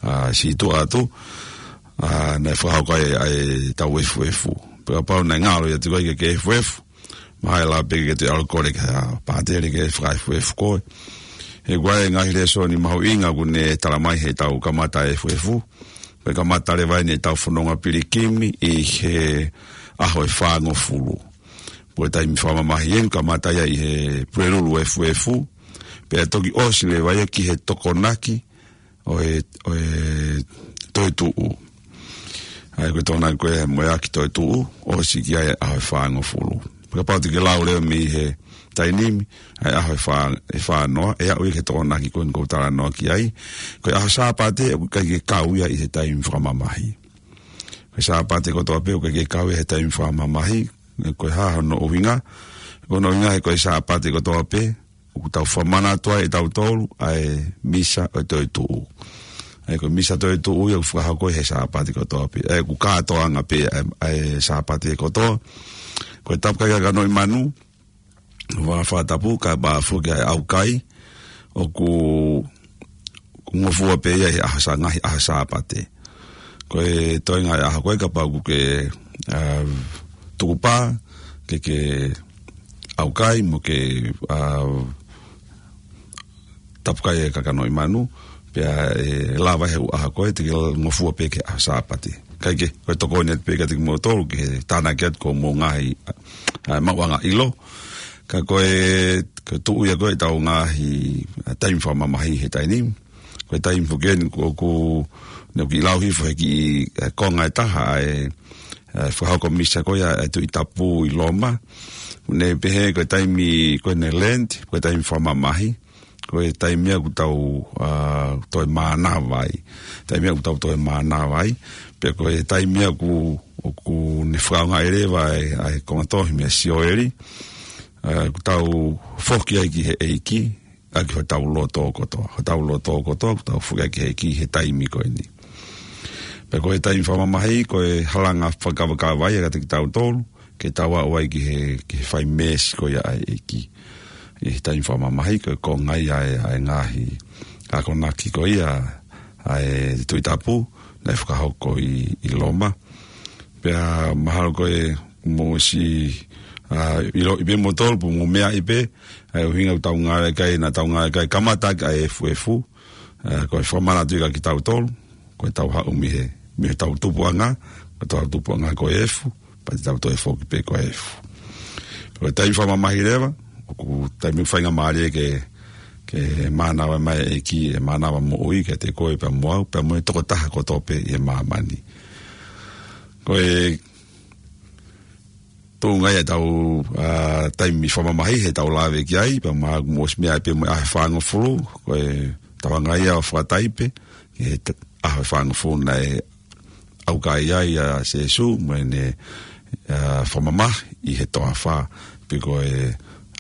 ʻa, sītuʻa atu, ʻa, naʻe fakahoko ai ʻa ʻetau efuefu. Pea kapau naʻe ngalo ia ʻiate koe ke ke efuefu, mahalo pē ke ke toe ʻalu ʻo kole kia Pātele ke fakaefuefu koe. He ʻoku ʻi ai e ngaahi lēsoni mahuʻinga ʻoku ne tala mai heʻetau kamata efuefu. Ko e kamata leva eni ʻetau fononga pilikimi ʻi he ʻaho ʻe fāngofulu. Ko e taimi fakamamahi eni, kamata ia ʻi he Pulelulu efuefu. Pea toki ʻosi leva ia ki he tokonaki ʻo e, ʻo e toetuʻu. ʻA ia ko e tokonaki ko ē mo e ʻaki toetuʻu, ʻosi ki ai e ʻaho ʻe fāngofulu. Kapau te ke lau leva mei he taimi ni, ʻa e ʻaho ʻe fā, ʻe fā noa, ʻe aʻu ia ki he tokonaki ko eni ʻoku ou talanoa ki ai. Ko e ʻaho Sāpate, ʻoku ʻikai ke kau ia ʻi he taimi fakamamahi. Ko e Sāpate kotoa pē, ʻoku ʻikai ke kau ia he taimi fakamamahi. Ko e hā hono ʻuhinga? Ko hono ʻuhinga he ko e Sāpate kotoa pē, ʻoku tau fakamanatu ai ʻe tautolu ʻa e misa ʻo e toetuʻu. ʻA ia ko e misa toetuʻu ia ʻoku fakahoko he Sāpate kotoa pē. ʻA ia ʻoku kātoanga pē ʻa e, ʻa e Sāpate kotoa. Ko e tapu kai kakanoʻi manu, ʻo fakatapu, kae ʻumaʻā foki ʻa e ʻaukai, ʻoku, ʻoku ngofua pē ia he ʻaho Sā-, ngaahi ʻaho Sāpate. Ko e toenga e ʻaho ko ē kapau ʻoku ke, ʻa, tukupā, ke ke ʻaukai mo ke, ʻa, tapu kai e kakanoʻi manu, pea ʻe lava he ʻū ʻaho ko ē te ke ngofua pē ki he ʻaho Sāpate. Kae kehe, ko e tokoni atu pē kiate kimoutolu ki he tānaki atu ki hoʻomou ngaahi, ʻa, maʻuʻanga ʻilo. Ka ko e, ko e tuʻu ia ko ē ʻetau ngaahi, ʻa, taimi fakamamahi he taimi ni. Ko e taimi foki eni ʻoku, ʻoku ne kiʻi lau hifo he kiʻi, ʻa, konga ʻe taha ʻa e, ʻa e fakahoko misa ko ia ʻa e Tuʻi Tapu ʻi Loma. Ne pehē ko e taimi ko eni Lent, ko e taimi fakamamahi. Ko e taimi ia ʻoku tau, ʻa, toe mānava ai. Taimi ia ʻoku tau toe mānava ai. Pea ko e taimi ia ʻoku, ʻoku ne fakaʻaongaʻi leva ʻa e, ʻa e konga tohi meia Sioeli. ʻA, ʻoku tau foki ai ki he ʻEiki, ʻaki hotau loto kotoa. Hotau loto kotoa, ʻoku tau foki ai ki he ʻEiki he taimi ko eni. Pea ko e taimi fakamamahi, ko e halanga fakakavakava ia kiate kitautolu, ke tau aʻu ai ki he, ki he fai meesi ko ia ʻa e ʻEiki. ʻI he taimi fakamamahi, ko e konga ia ʻa e, ʻa e ngaahi akonaki ko ia ʻa e Tuʻi Tapu, naʻe fakahoko ʻi, ʻi Loma. Pea mahalo ko e mou ʻosi, ʻa, ʻiloʻi pē moutolu, pe mou meaʻi pē, ʻa e ʻuhinga ʻoku tau ngāueʻaki ai, naʻa tau ngāueʻaki ai kamata ʻa e efuefu, ʻa, ko e fakamanatu ia kia kitautolu, ko ʻetau haʻu mei he, mei heʻetau tupuʻanga, ko ʻetau tupuʻanga ko e efu, pea te tau toe foki pē ko e efu. Ko e taimi fakamamahi leva, ʻoku taimi faingamālie ke, ke mānava mai e ʻEiki, ʻe mānava moʻui kiate koe pea mo au, pea mo e tokotaha kotoa pē ʻi māmani. Ko e tuʻunga ia ʻetau, ʻa, taimi fakamamahi heʻetau lave ki ai, pea mahalo mou ʻosi meaʻi pē mo e ʻaho ʻe fāngofulu, ko e tauanga ia ʻo fakataipe, ki he t-, ʻaho ʻe fāngofulu naʻe ʻaukai ai ʻa Sīsū, mo ʻene, ʻa, fakamamahi ʻi he toafa, pe ko e,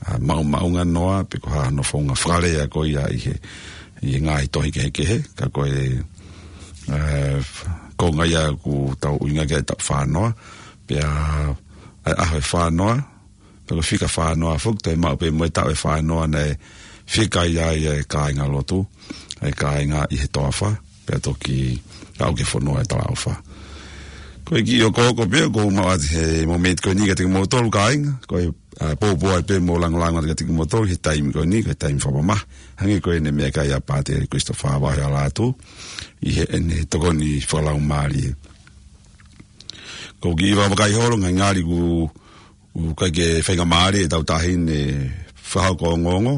ʻa, maʻumaʻunga noa, pe ko ha hono founga fakalea ko ia ʻi he, ʻi he ngaahi tohi kehekehe, ka ko e, ʻa, konga ia ʻoku tau ʻuhinga ki ai ʻetau fā noa, pea ʻa e ʻaho ʻe fā noa, pea ko e fika fā noa foki, toe maʻu pē mo e taʻu ʻe fā noa naʻe fika ai ʻa e kāingalotu, ʻa e kāinga ʻi he toafa, pea toki aʻu ki he fonua ʻo e talaʻofa. Ko e kiʻi ʻokoʻoko pē ʻoku ou maʻu atu he momeniti ko eni kiate kimoutolu kāinga, ko e, ʻa, poupou ai pē mo langolango atu kiate kimoutolu he taimi ko eni, ko e taimi fakamamahi. Hangē ko ʻene meʻakai ʻa Pātele Christopher Vahealatu, ʻi heʻene tokoni fakalaumālie. Ko e kiʻi vakai holo, ngali ʻoku ʻoku ʻikai ke faingamālie ʻetau taʻahine fakahoko ongoongo.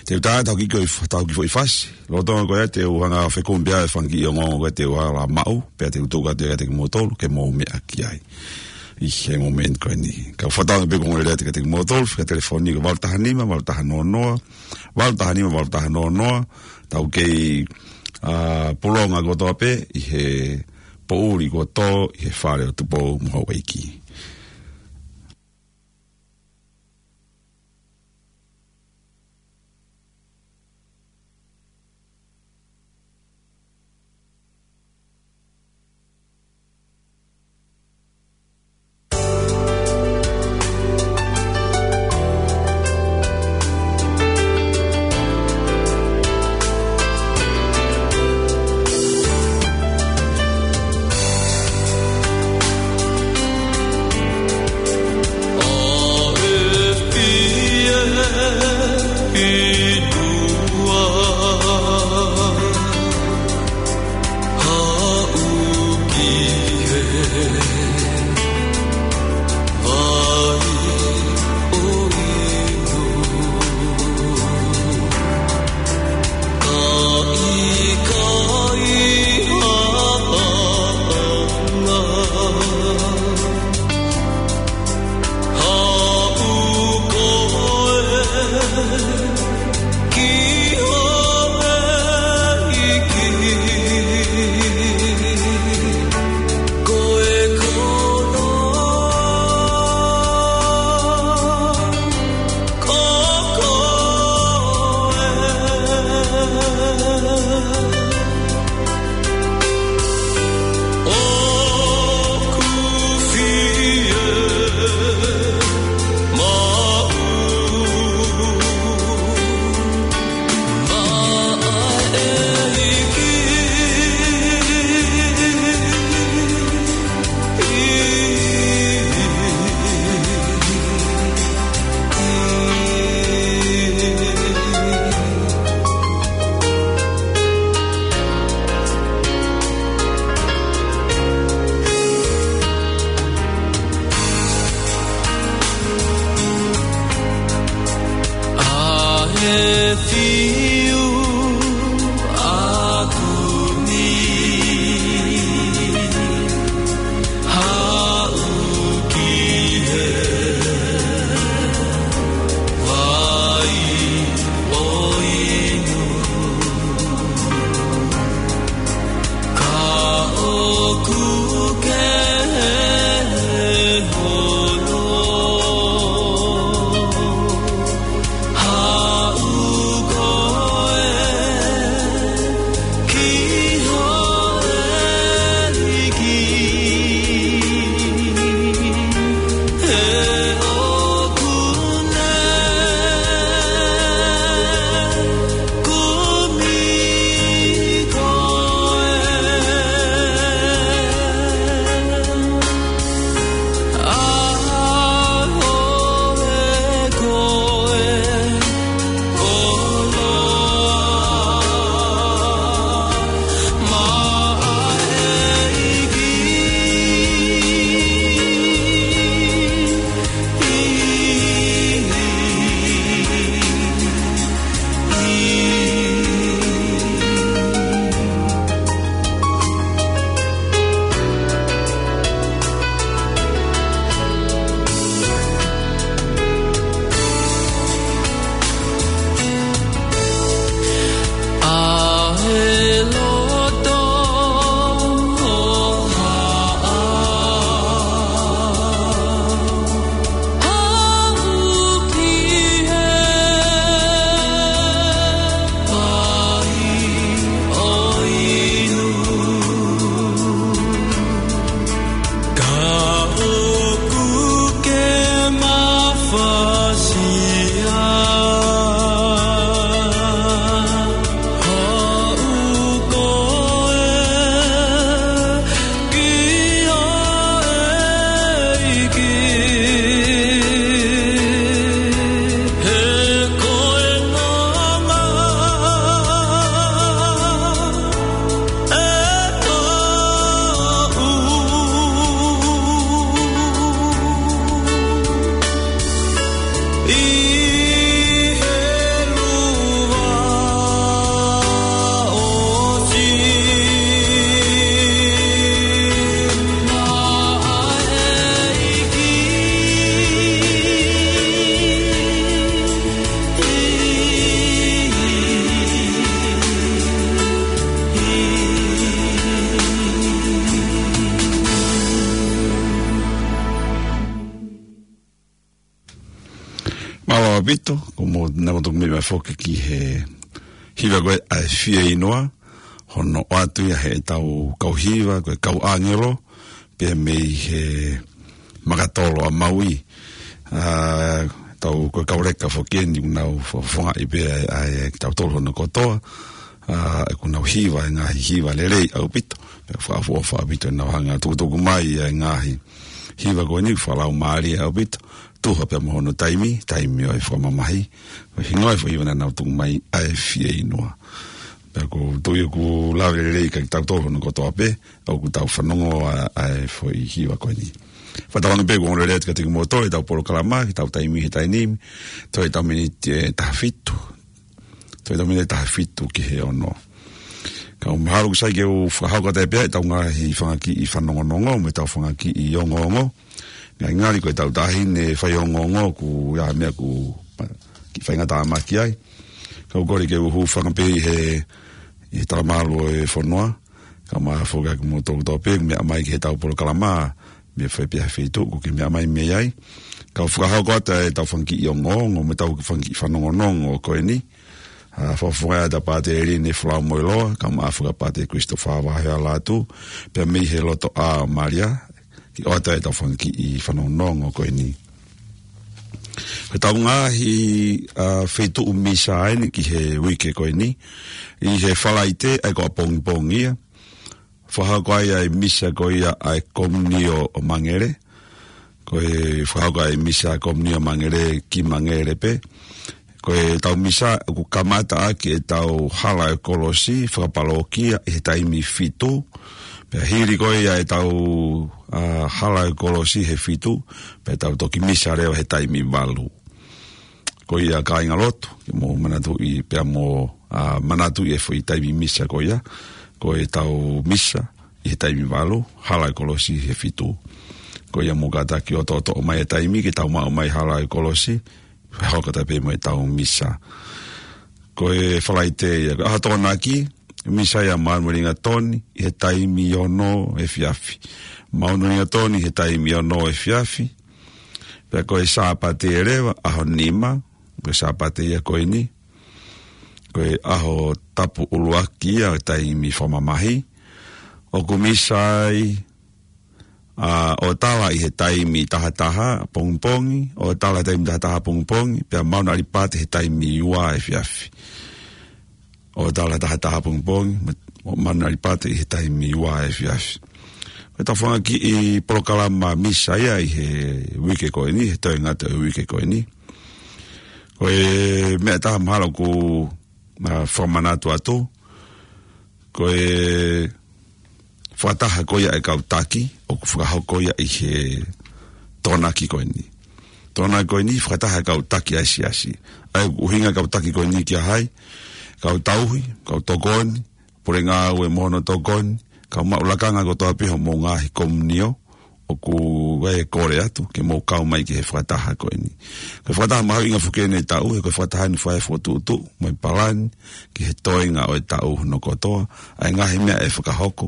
Te u tā, tau kiʻi ko i f-, tau kiʻi foʻi fasi. Lolotonga ko ia te u hanga fekumi pē ʻa e fanga kiʻi ongoongo ko ia te u hala maʻu, pea te u tuku atu kiate kimoutolu ke mou meʻa ki ai. ʻI he momeniti ko eni. Ka u fakatauange pē ko e ongoongolelei atu kiate kimoutolu, fika telefoni ko e valu taha nima, valu taha noa noa, valu taha nima, valu taha noa noa, tau kei, ʻa, pulonga kotoa pē, ʻi he poʻuli kuo tō, ʻi he fale ʻo Tupou mo Houʻeiki. ʻAupito, ko mo na mo toki meʻa mai foki ki he hiva ko ē ʻa e Fieinua, hono ʻoatu ia heʻetau kau hiva, ko e kau ʻāngelo, pea mei he Makatolo ʻa Maui. ʻA, tau ko e kau leka foki eni ʻoku nau fo-, fofongaʻi pē ʻa e, ʻa e, kitautolu hono kotoa, ʻa, ʻoku nau hiva e ngaahi hiva lelei ʻaupito. Pea fakaʻofoʻofa ʻaupito ʻenau hanga tukutuku mai ʻa e ngaahi hiva ko eni, fakalaumālie ʻaupito. Tuha pea mo hono taimi, taimi ʻo e fakamamahi. Ko e hingoa e foʻi hiva naʻa nau tuku mai ʻa e Fieinua. Pea ʻoku ou tui ʻoku lave lelei kiate kitautolu hono kotoa pē, ʻoku tau fanongo ʻa, ʻa e foʻi hiva ko eni. Fakatauange pē ʻoku ongoongolelei atu kiate kimoutolu ʻetau polokalama, ʻetau taimi he taimi ni, toe ʻetau miniti ʻe taha fitu. Toe ʻetau miniti ʻe taha fitu ki he ono. Ka ʻoku mahalo ʻoku sai ke u fakahoko atu pē ʻetau ngaahi fanga kiʻi fanongonongo, mo ʻetau fanga kiʻi ongoongo. Ngali ngali ko ʻetau taʻahine fai ongoongo ʻoku ʻi ai ha meʻa ʻoku kiʻi faingataʻa mai ki ai. Ka ʻoku ou kole ke u hūfanga pē ʻi he, ʻi he talamalu ʻo e fonua. Kae ʻumaʻā foki ʻa kimoutolu kotoa pē, meʻa mai ki heʻetau polokalama, mei fē pē ha feituʻu ʻoku ke meʻa mai mei ai. Ka u fakahoko atu ʻetau fanga kiʻi ongoongo, mo ʻetau fanga kiʻi fanongonongo ko eni. ʻA, fakafofongaʻi atu ʻa Pātele Line Folau Moeloa, kae ʻumaʻā foki ʻa Pātele Christopher Vahealatu, pea mei he Lotoʻā ʻo Malia, ke ʻoatu ʻetau fanga kiʻi fanongonongo ko eni. Ko ʻetau ngaahi, ʻa, feituʻu misa eni ki he uike ko eni, ʻi he Falaite, ʻa ia ko ʻapongipongi ia, fakahoko ai ʻa e misa ko ia ʻa e Komunio ʻo Mangele. Ko e fakahoko ʻa e misa Komunio Mangele ki Mangele pē. Ko ʻetau misa ʻoku kamata ʻaki ʻetau hala ʻo e kolosi fakapalōkia ʻi he taimi fitu. Pea hili ko ia ʻetau, ʻa, hala ʻo e kolosi he fitu, pea tau toki misa leva he taimi valu. Ko ia kāingalotu, ke mou manatuʻi pea mo, ʻa, manatuʻi e foʻi taimi misa ko ia, ko ʻetau misa ʻi he taimi valu, hala ʻo e kolosi he fitu. Ko ia mou kātaki ʻo toʻotoʻo mai e taimi ke tau maʻu mai hala ʻo e kolosi, fakahoko atu pē mo ʻetau misa. Ko e Falaite ia, ko e ʻaho Tokonaki, misa ia maʻu mo ringatoni, ʻi he taimi ono efiafi. Maʻu mo ringatoni, ʻi he taimi ono efiafi. Pea ko e Sāpate leva, ʻaho nima, ko e Sāpate ia ko eni. Ko e ʻaho tapu ʻuluaki ia ʻo e taimi fakamamahi. ʻOku misa ai, ʻa, ʻo tala ʻi he taimi tahataha pongipongi, ʻo tala taimi tahataha pongipongi, pea maʻu ʻa e ʻalipate he taimi ua efiafi. ʻO tala tahataha pongipongi, mo, mo maʻu ʻa e ʻalipate ʻi he taimi ua efiafi. Ko ʻetau fanga kiʻi polokalama misa ia ʻi he uike ko eni, he toe ngata ʻo e uike ko eni. Ko e meʻa ʻe taha mahalo ʻoku, ʻa, fakamanatu atu, ko e fakataha ko ia ʻa e kau taki, ʻoku fakahoko ia ʻi he Tokonaki ko eni. Tokonaki ko eni, fakataha e kau taki ʻa e siasi. ʻA ia ʻoku ʻuhinga e kau taki ko eni kia hai, kau tauhi, kau tokoni, pule ngāue mo hono tokoni, kau maʻu lakanga kotoa pē homou ngaahi komunio, ʻoku ʻi ai e kole atu, ke mou kau mai ki he fakataha ko eni. Ko e fakataha mahuʻinga foki eni e taʻu, he ko e fakataha eni ʻoku fai ai e fokotuʻutuʻu, mo e palani, ki he toenga ʻo e taʻu hono kotoa, ʻa e ngaahi meʻa ʻe fakahoko,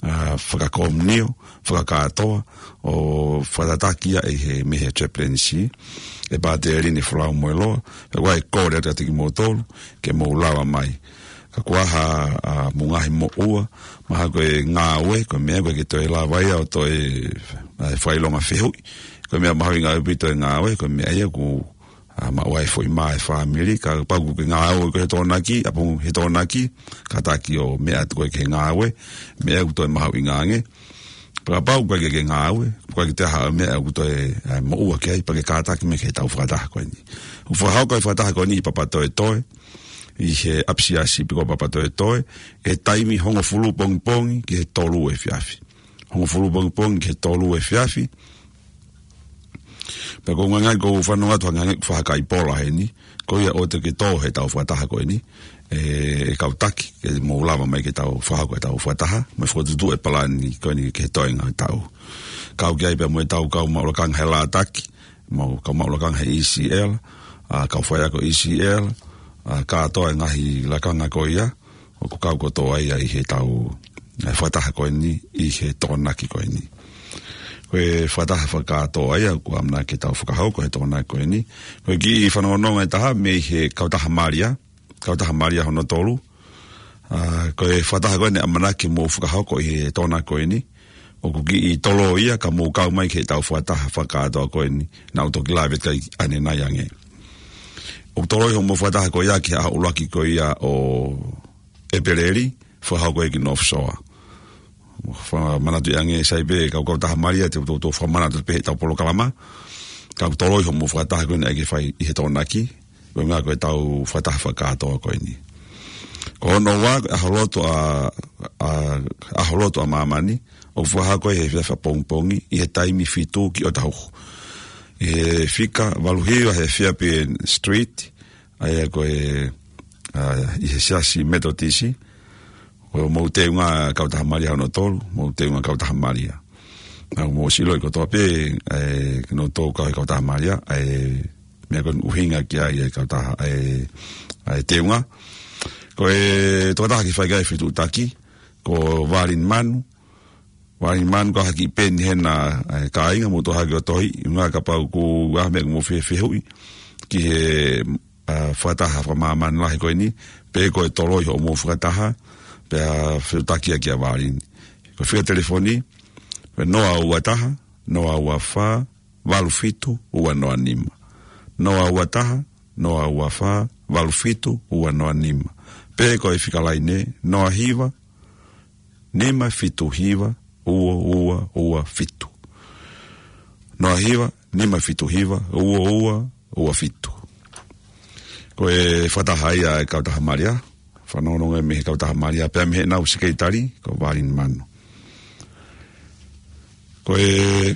ʻa, fakakomunio, fakakātoa, ʻo fakatataki ia ʻi he mei he chaplaincy, ʻe Pātele Line Folau Moeloa, ʻoku ʻi ai e kole atu kiate kimoutolu, ke mou lava mai. Ka kuo ʻi ai ha, ʻa, mo e ngaahi moʻua, mahalo ko e ngāue, ko e meʻa ʻoku ʻikai ke toe lava ia ʻo toe, ʻa, fakaʻilonga fehuʻi. Ko e meʻa mahuʻinga ʻaupito e ngāue, ko e meʻa ia ʻoku, ʻa, maʻu ai e foʻi mā e fāmili, kapau ʻoku ke ngāue koe he Tokonaki, ʻapongi he Tokonaki, kātaki ʻo meʻa atu koe ki he ngāue, meʻa ʻoku toe mahuʻinga ange. Pea kapau ʻoku ʻikai ke ke ngāue, ʻoku ʻikai ke toe ʻi ai ha meʻa ʻoku toe, ʻa, moʻua ki ai, pea ke kātaki mai ki heʻetau fakataha ko eni. ʻOku fakahoko e fakataha ko eni ʻi Papatoetoe, ʻi he ʻapisiasi piko Papatoetoe, ʻi he taimi hongofulu pongipongi ki he tolu efiafi. Hongofulu pongipongi ki he tolu efiafi. Pea ʻoku ou ngangali ʻoku ou fanongo atu hangē ʻoku fai ha kaipola heni, ko ia ʻoua te ke tō heʻetau fakataha ko eni, ʻe, ʻe kau taki, ke mou lava mai ke tau fakahoko ʻetau fakataha, mo e fokotuʻutuʻu e palani ko eni ki he toenga ʻo e taʻu. Kau ki ai pea mo ʻetau kau maʻu lakanga he Lātaki, mo e kau maʻu lakanga he E C L, ʻa, kau faiako E C L, ʻa, kātoa e ngaahi lakanga ko ia, ʻoku kau kotoa ia ʻi heʻetau, ʻa, fakataha ko eni, ʻi he Tokonaki ko eni. Ko e fakataha fakakātoa ia ʻoku ʻamanaki ke tau fakahoko he Tokonaki ko eni. Ko e kiʻi fanongonongo ʻe taha mei he Kautaha Malia, Kautaha Malia hono tolu. ʻA, ko e fakataha ko eni ʻamanaki ke mou fakahoko ʻi he Tokonaki ko eni, ʻoku kiʻi toloi ia ka mou kau mai ki heʻetau fakataha fakakātoa ko eni, naʻa ku toki lave ki ai ʻanenai ange. ʻOku toloi hoʻomou fakataha ko ia ki he ʻaho ʻuluaki ko ia ʻo ʻEpeleli, fakahoko ia ki North Shore. Fakamanatu ange, sai pē kau Kautaha Malia, te u toutou fakamanatu pē heʻetau polokalama. Ka ʻoku toloi hoʻomou fakataha ko eni ʻai ke fai ʻi he Tokonaki, ko e ʻuhinga ko ʻetau fakataha fakakātoa ko eni. Ko hono ua, ko e ʻAho Lotu ʻa, ʻa, ʻAho Lotu ʻa Māmani, ʻoku fakahoko ia he efiafi ʻapongipongi, ʻi he taimi fitu ki ʻo taha uho. ʻI he fika valu hiva he Fairbairn Street, ʻa ia ko e, ʻa, ʻi he Siasi Metotisi, ko hoʻomou teunga Kautaha Malia hono tolu, mou teunga Kautaha Malia. Naʻa mou ʻosi ʻilo kotoa pē, ʻa e, kinautolu kau he Kautaha Malia, ʻa e, meʻa ko eni ʻoku ʻuhinga ki ai ʻa e kautaha, ʻa e, ʻa e teunga. Ko e tokotaha ke fai ki ai e fetuʻutaki, ko Valin Manu, Valin Manu, ko ha kiʻi peni hena, ʻa e, kāinga, mou tohi hake ʻo tohi, ʻuhinga kapau ʻoku ʻi ai ha meʻa ʻoku mou fie fehuʻi ki he, ʻa, fakataha fakamāmani lahi ko eni, pe ko e toloi hoʻomou fakataha, pea fetuʻutaki ia kia Valin. Ko e fika telefoni, ko e noa ua taha, noa ua fā, valu fitu, ua noa nima. Noa ua taha, noa ua fā, valu fitu, ua noa nima. Pe ko e fika laine, noa hiva, nima fitu hiva, ua ua ua fitu. Noa hiva, nima fitu hiva, ua ua ua fitu. Ko e fakataha ia ʻa e Kautaha Malia, fanongonongo ia mei he Kautaha Malia, pea mei heʻenau sekelitali, ko Valin Manu. Ko e,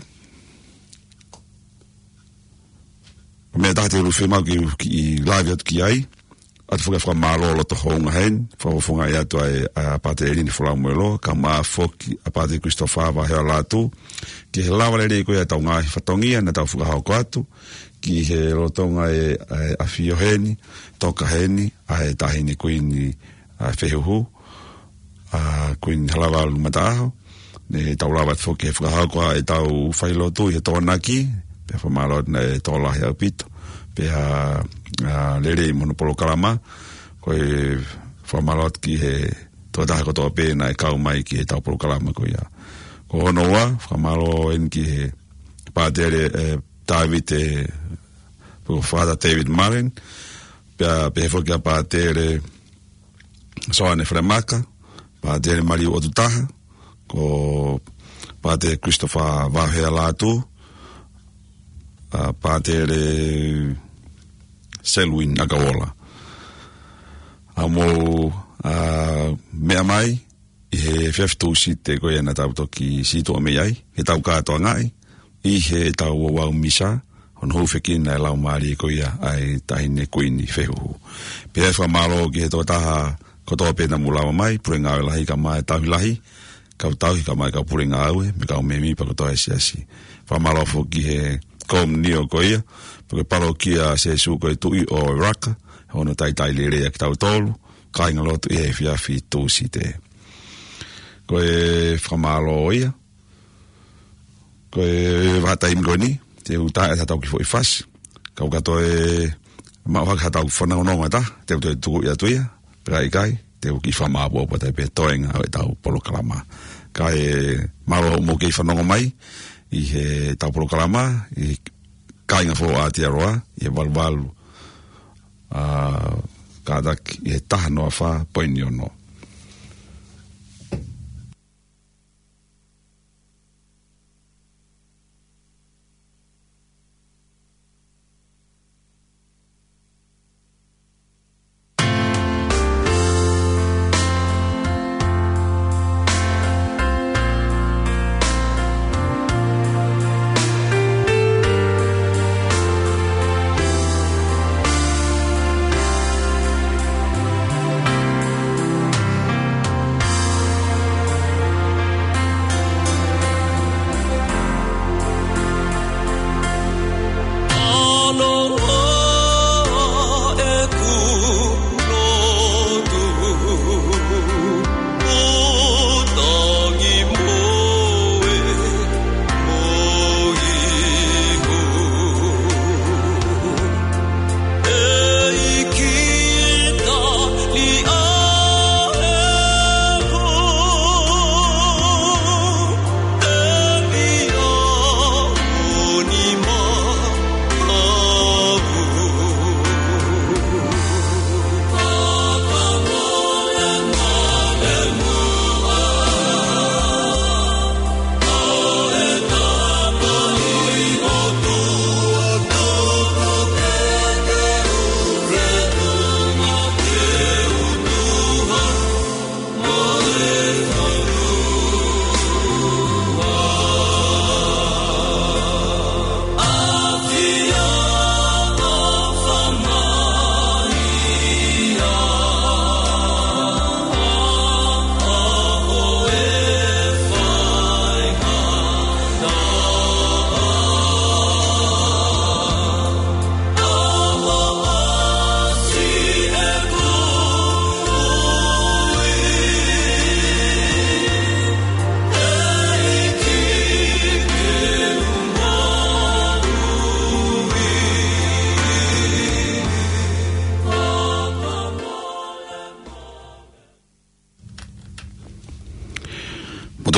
ko e meʻa ʻe taha te u fiemaʻu ke, ke lave atu ki ai, ʻoatu foki e fakamālō loto houngaʻia heni, fakafofongaʻi atu ʻa e, ʻa Pātele ʻElini Folau Moeloa, kae ʻumaʻā foki ʻa Pātele Christopher Vahealatu, ki he lava lelei ko ia ʻetau ngaahi fatongia naʻa tau fakahoko atu, ki he lolotonga e, e ʻafio heni, toka heni, ʻa e Taʻahine Kuini, ʻa Fehuhu, ʻa Kuini Halavalu Mataʻaho, ne tau lava atu foki he fakahoko ʻa ʻetau failotu ʻi he Tokonaki, pea fakamālō atu naʻe tokolahi ʻaupito, pea, ʻa, lelei mo hono polokalama, ko e fakamālō atu ki he tokotaha kotoa pē naʻe kau mai ki heʻetau polokalama ko ia. Ko hono ua, fakamālō eni ki he Pātele, ʻe, David, ʻe, ko Father David Mullen, pea, pehē foki kia Pātele Soane Felemaka, Pātele Maliu ʻOtutaha, ko Pātele Christopher Vahealatu, ʻa Pātele Selwyn ʻAkaola. ʻA mou, ʻa, meʻa mai, ʻi he efiafi Tūsite ko ia naʻa tau toki sītuʻa mei ai, ke tau kātoangaʻi, ʻi heʻetau ouau misa, hono hūfekina e laumālie ko ia ʻa e Taʻahine Kuini Fehuhu. Pea fakamālō ki he tokotaha kotoa pē naʻa mou lava mai, pule ngāue lahi kae ʻumaʻā e tauhi lahi, kau tauhi kae ʻumaʻā e kau pule ngāue, mo e kau mēmipa kotoa e siasi. Fakamālō foki ki he komiunitī ko ia, pea ko e palokia Sēsū ko e Tuʻi ʻo Raka, hono talitali lelei ʻa kitautolu, kāingalotu ʻi he efiafi Tūsite. Ko e fakamālō ia, ko e vahaʻa taimi ko eni, te u tā ʻe tatau ki foʻi fasi. Kau ka toe maʻu hake haʻatau fanongonongo ʻe taha, te u toe tuku ia atu ia, pea ʻikai, te u kiʻi fakamāʻopoʻopo atu pē toenga ʻo ʻetau polokalama. Kae mālō hoʻomou kei fanongo mai, ʻi heʻetau polokalama, ʻi he kāinga foʻou ʻa Aotearoa, ʻi he valuvalu, ʻa, kātaki, ʻi he taha noa fā poini ono.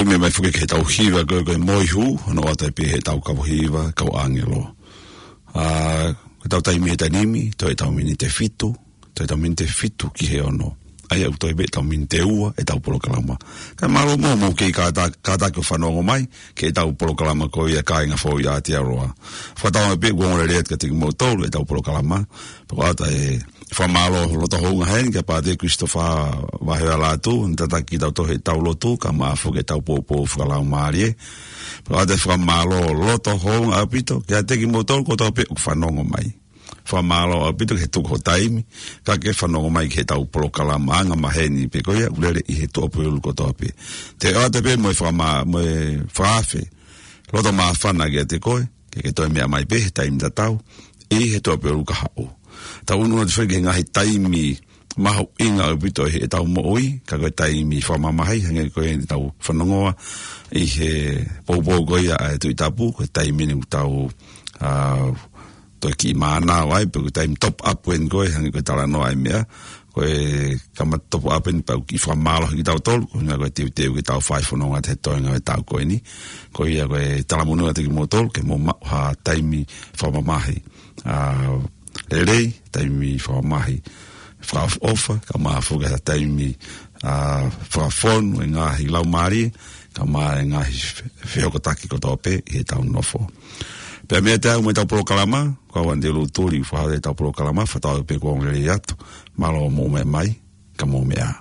Meʻa mai foki ki heʻetau hiva ko ē ko e Moihū, hono ʻoatu ai pē heʻetau kau hiva, kau ʻāngelo. ʻA, ko ʻetau taimi he taimi ni, toe ʻetau miniti ʻe fitu, toe ʻetau miniti ʻe fitu ki he ono. ʻA ia ʻoku toe pē ʻetau miniti ʻe ua ʻetau polokalama. Kae mālō muʻa hoʻomou kei kāta-, kātaki ʻo fanongo mai ki heʻetau polokalama ko ia Kāinga Foʻou ʻi Aotearoa. Fakatauange pē ʻoku ongo lelei atu kiate kimoutolu ʻetau polokalama. Pea ʻoatu ai e fakamālō loto houngaʻia heni kia Pātele Christopher Vahealatu, ne tataki kitautolu heʻetau lotu, kae ʻumaʻā foki ʻetau poupou fakalaumālie. Pea ʻoatu ai e fakamālō loto houngaʻia ʻaupito kiate kimoutolu kotoa pē ʻoku fanongo mai. Fakamālō ʻaupito ki he tuku ho taimi, kae ke fanongo mai ki heʻetau polokalama angamaheni pē ko ia, ʻoku lele ʻi he tuʻapulelulu kotoa pē. Te u ʻoatu pē mo e fakamā-, mo e fakaafe loto māfana kiate koe, ke ke toe meʻa mai pē he taimi tatau ʻi he tuʻapulelulu kahaʻu. Tau ʻunu atu foki ki he ngaahi taimi mahuʻinga ʻaupito ʻi heʻetau moʻui, ka ko e taimi fakamamahi, hangē ko ʻetau fanongoa ʻi he poupou ko ia ʻa e Tuʻi Tapu, ko e taimi eni ʻoku tau, ʻa, toe kiʻi mānava ai, pe ko e taimi top up eni ko ē, hangē ko e talanoa ʻa e meʻa, ko e kamata top up eni pea ʻoku kiʻi fakamālohi kitautolu, ko e ʻuhinga ko e teuteu ke tau fai fononga he toenga ʻo e taʻu ko eni. Ko ia ko e talamonū atu kiate kimoutolu, ke mou maʻu ha taimi fakamamahi, ʻa, lelei, taimi fakamamahi fakaʻofoʻofa, kae ʻumaʻā foki ha taimi, ʻa, fakafonu e ngaahi laumālie, kae ʻumaʻā e ngaahi fe-, fehokotaki kotoa pē ʻi heʻetau nofo. Pea mei he taimi ʻoku ʻomai ʻetau polokalama, ko au Andrew Lutuli, fakahā ʻetau polokalama, fakatauange pē kuo ongo lelei atu, mālō hoʻomou meʻa mai, ka mou meʻa ā.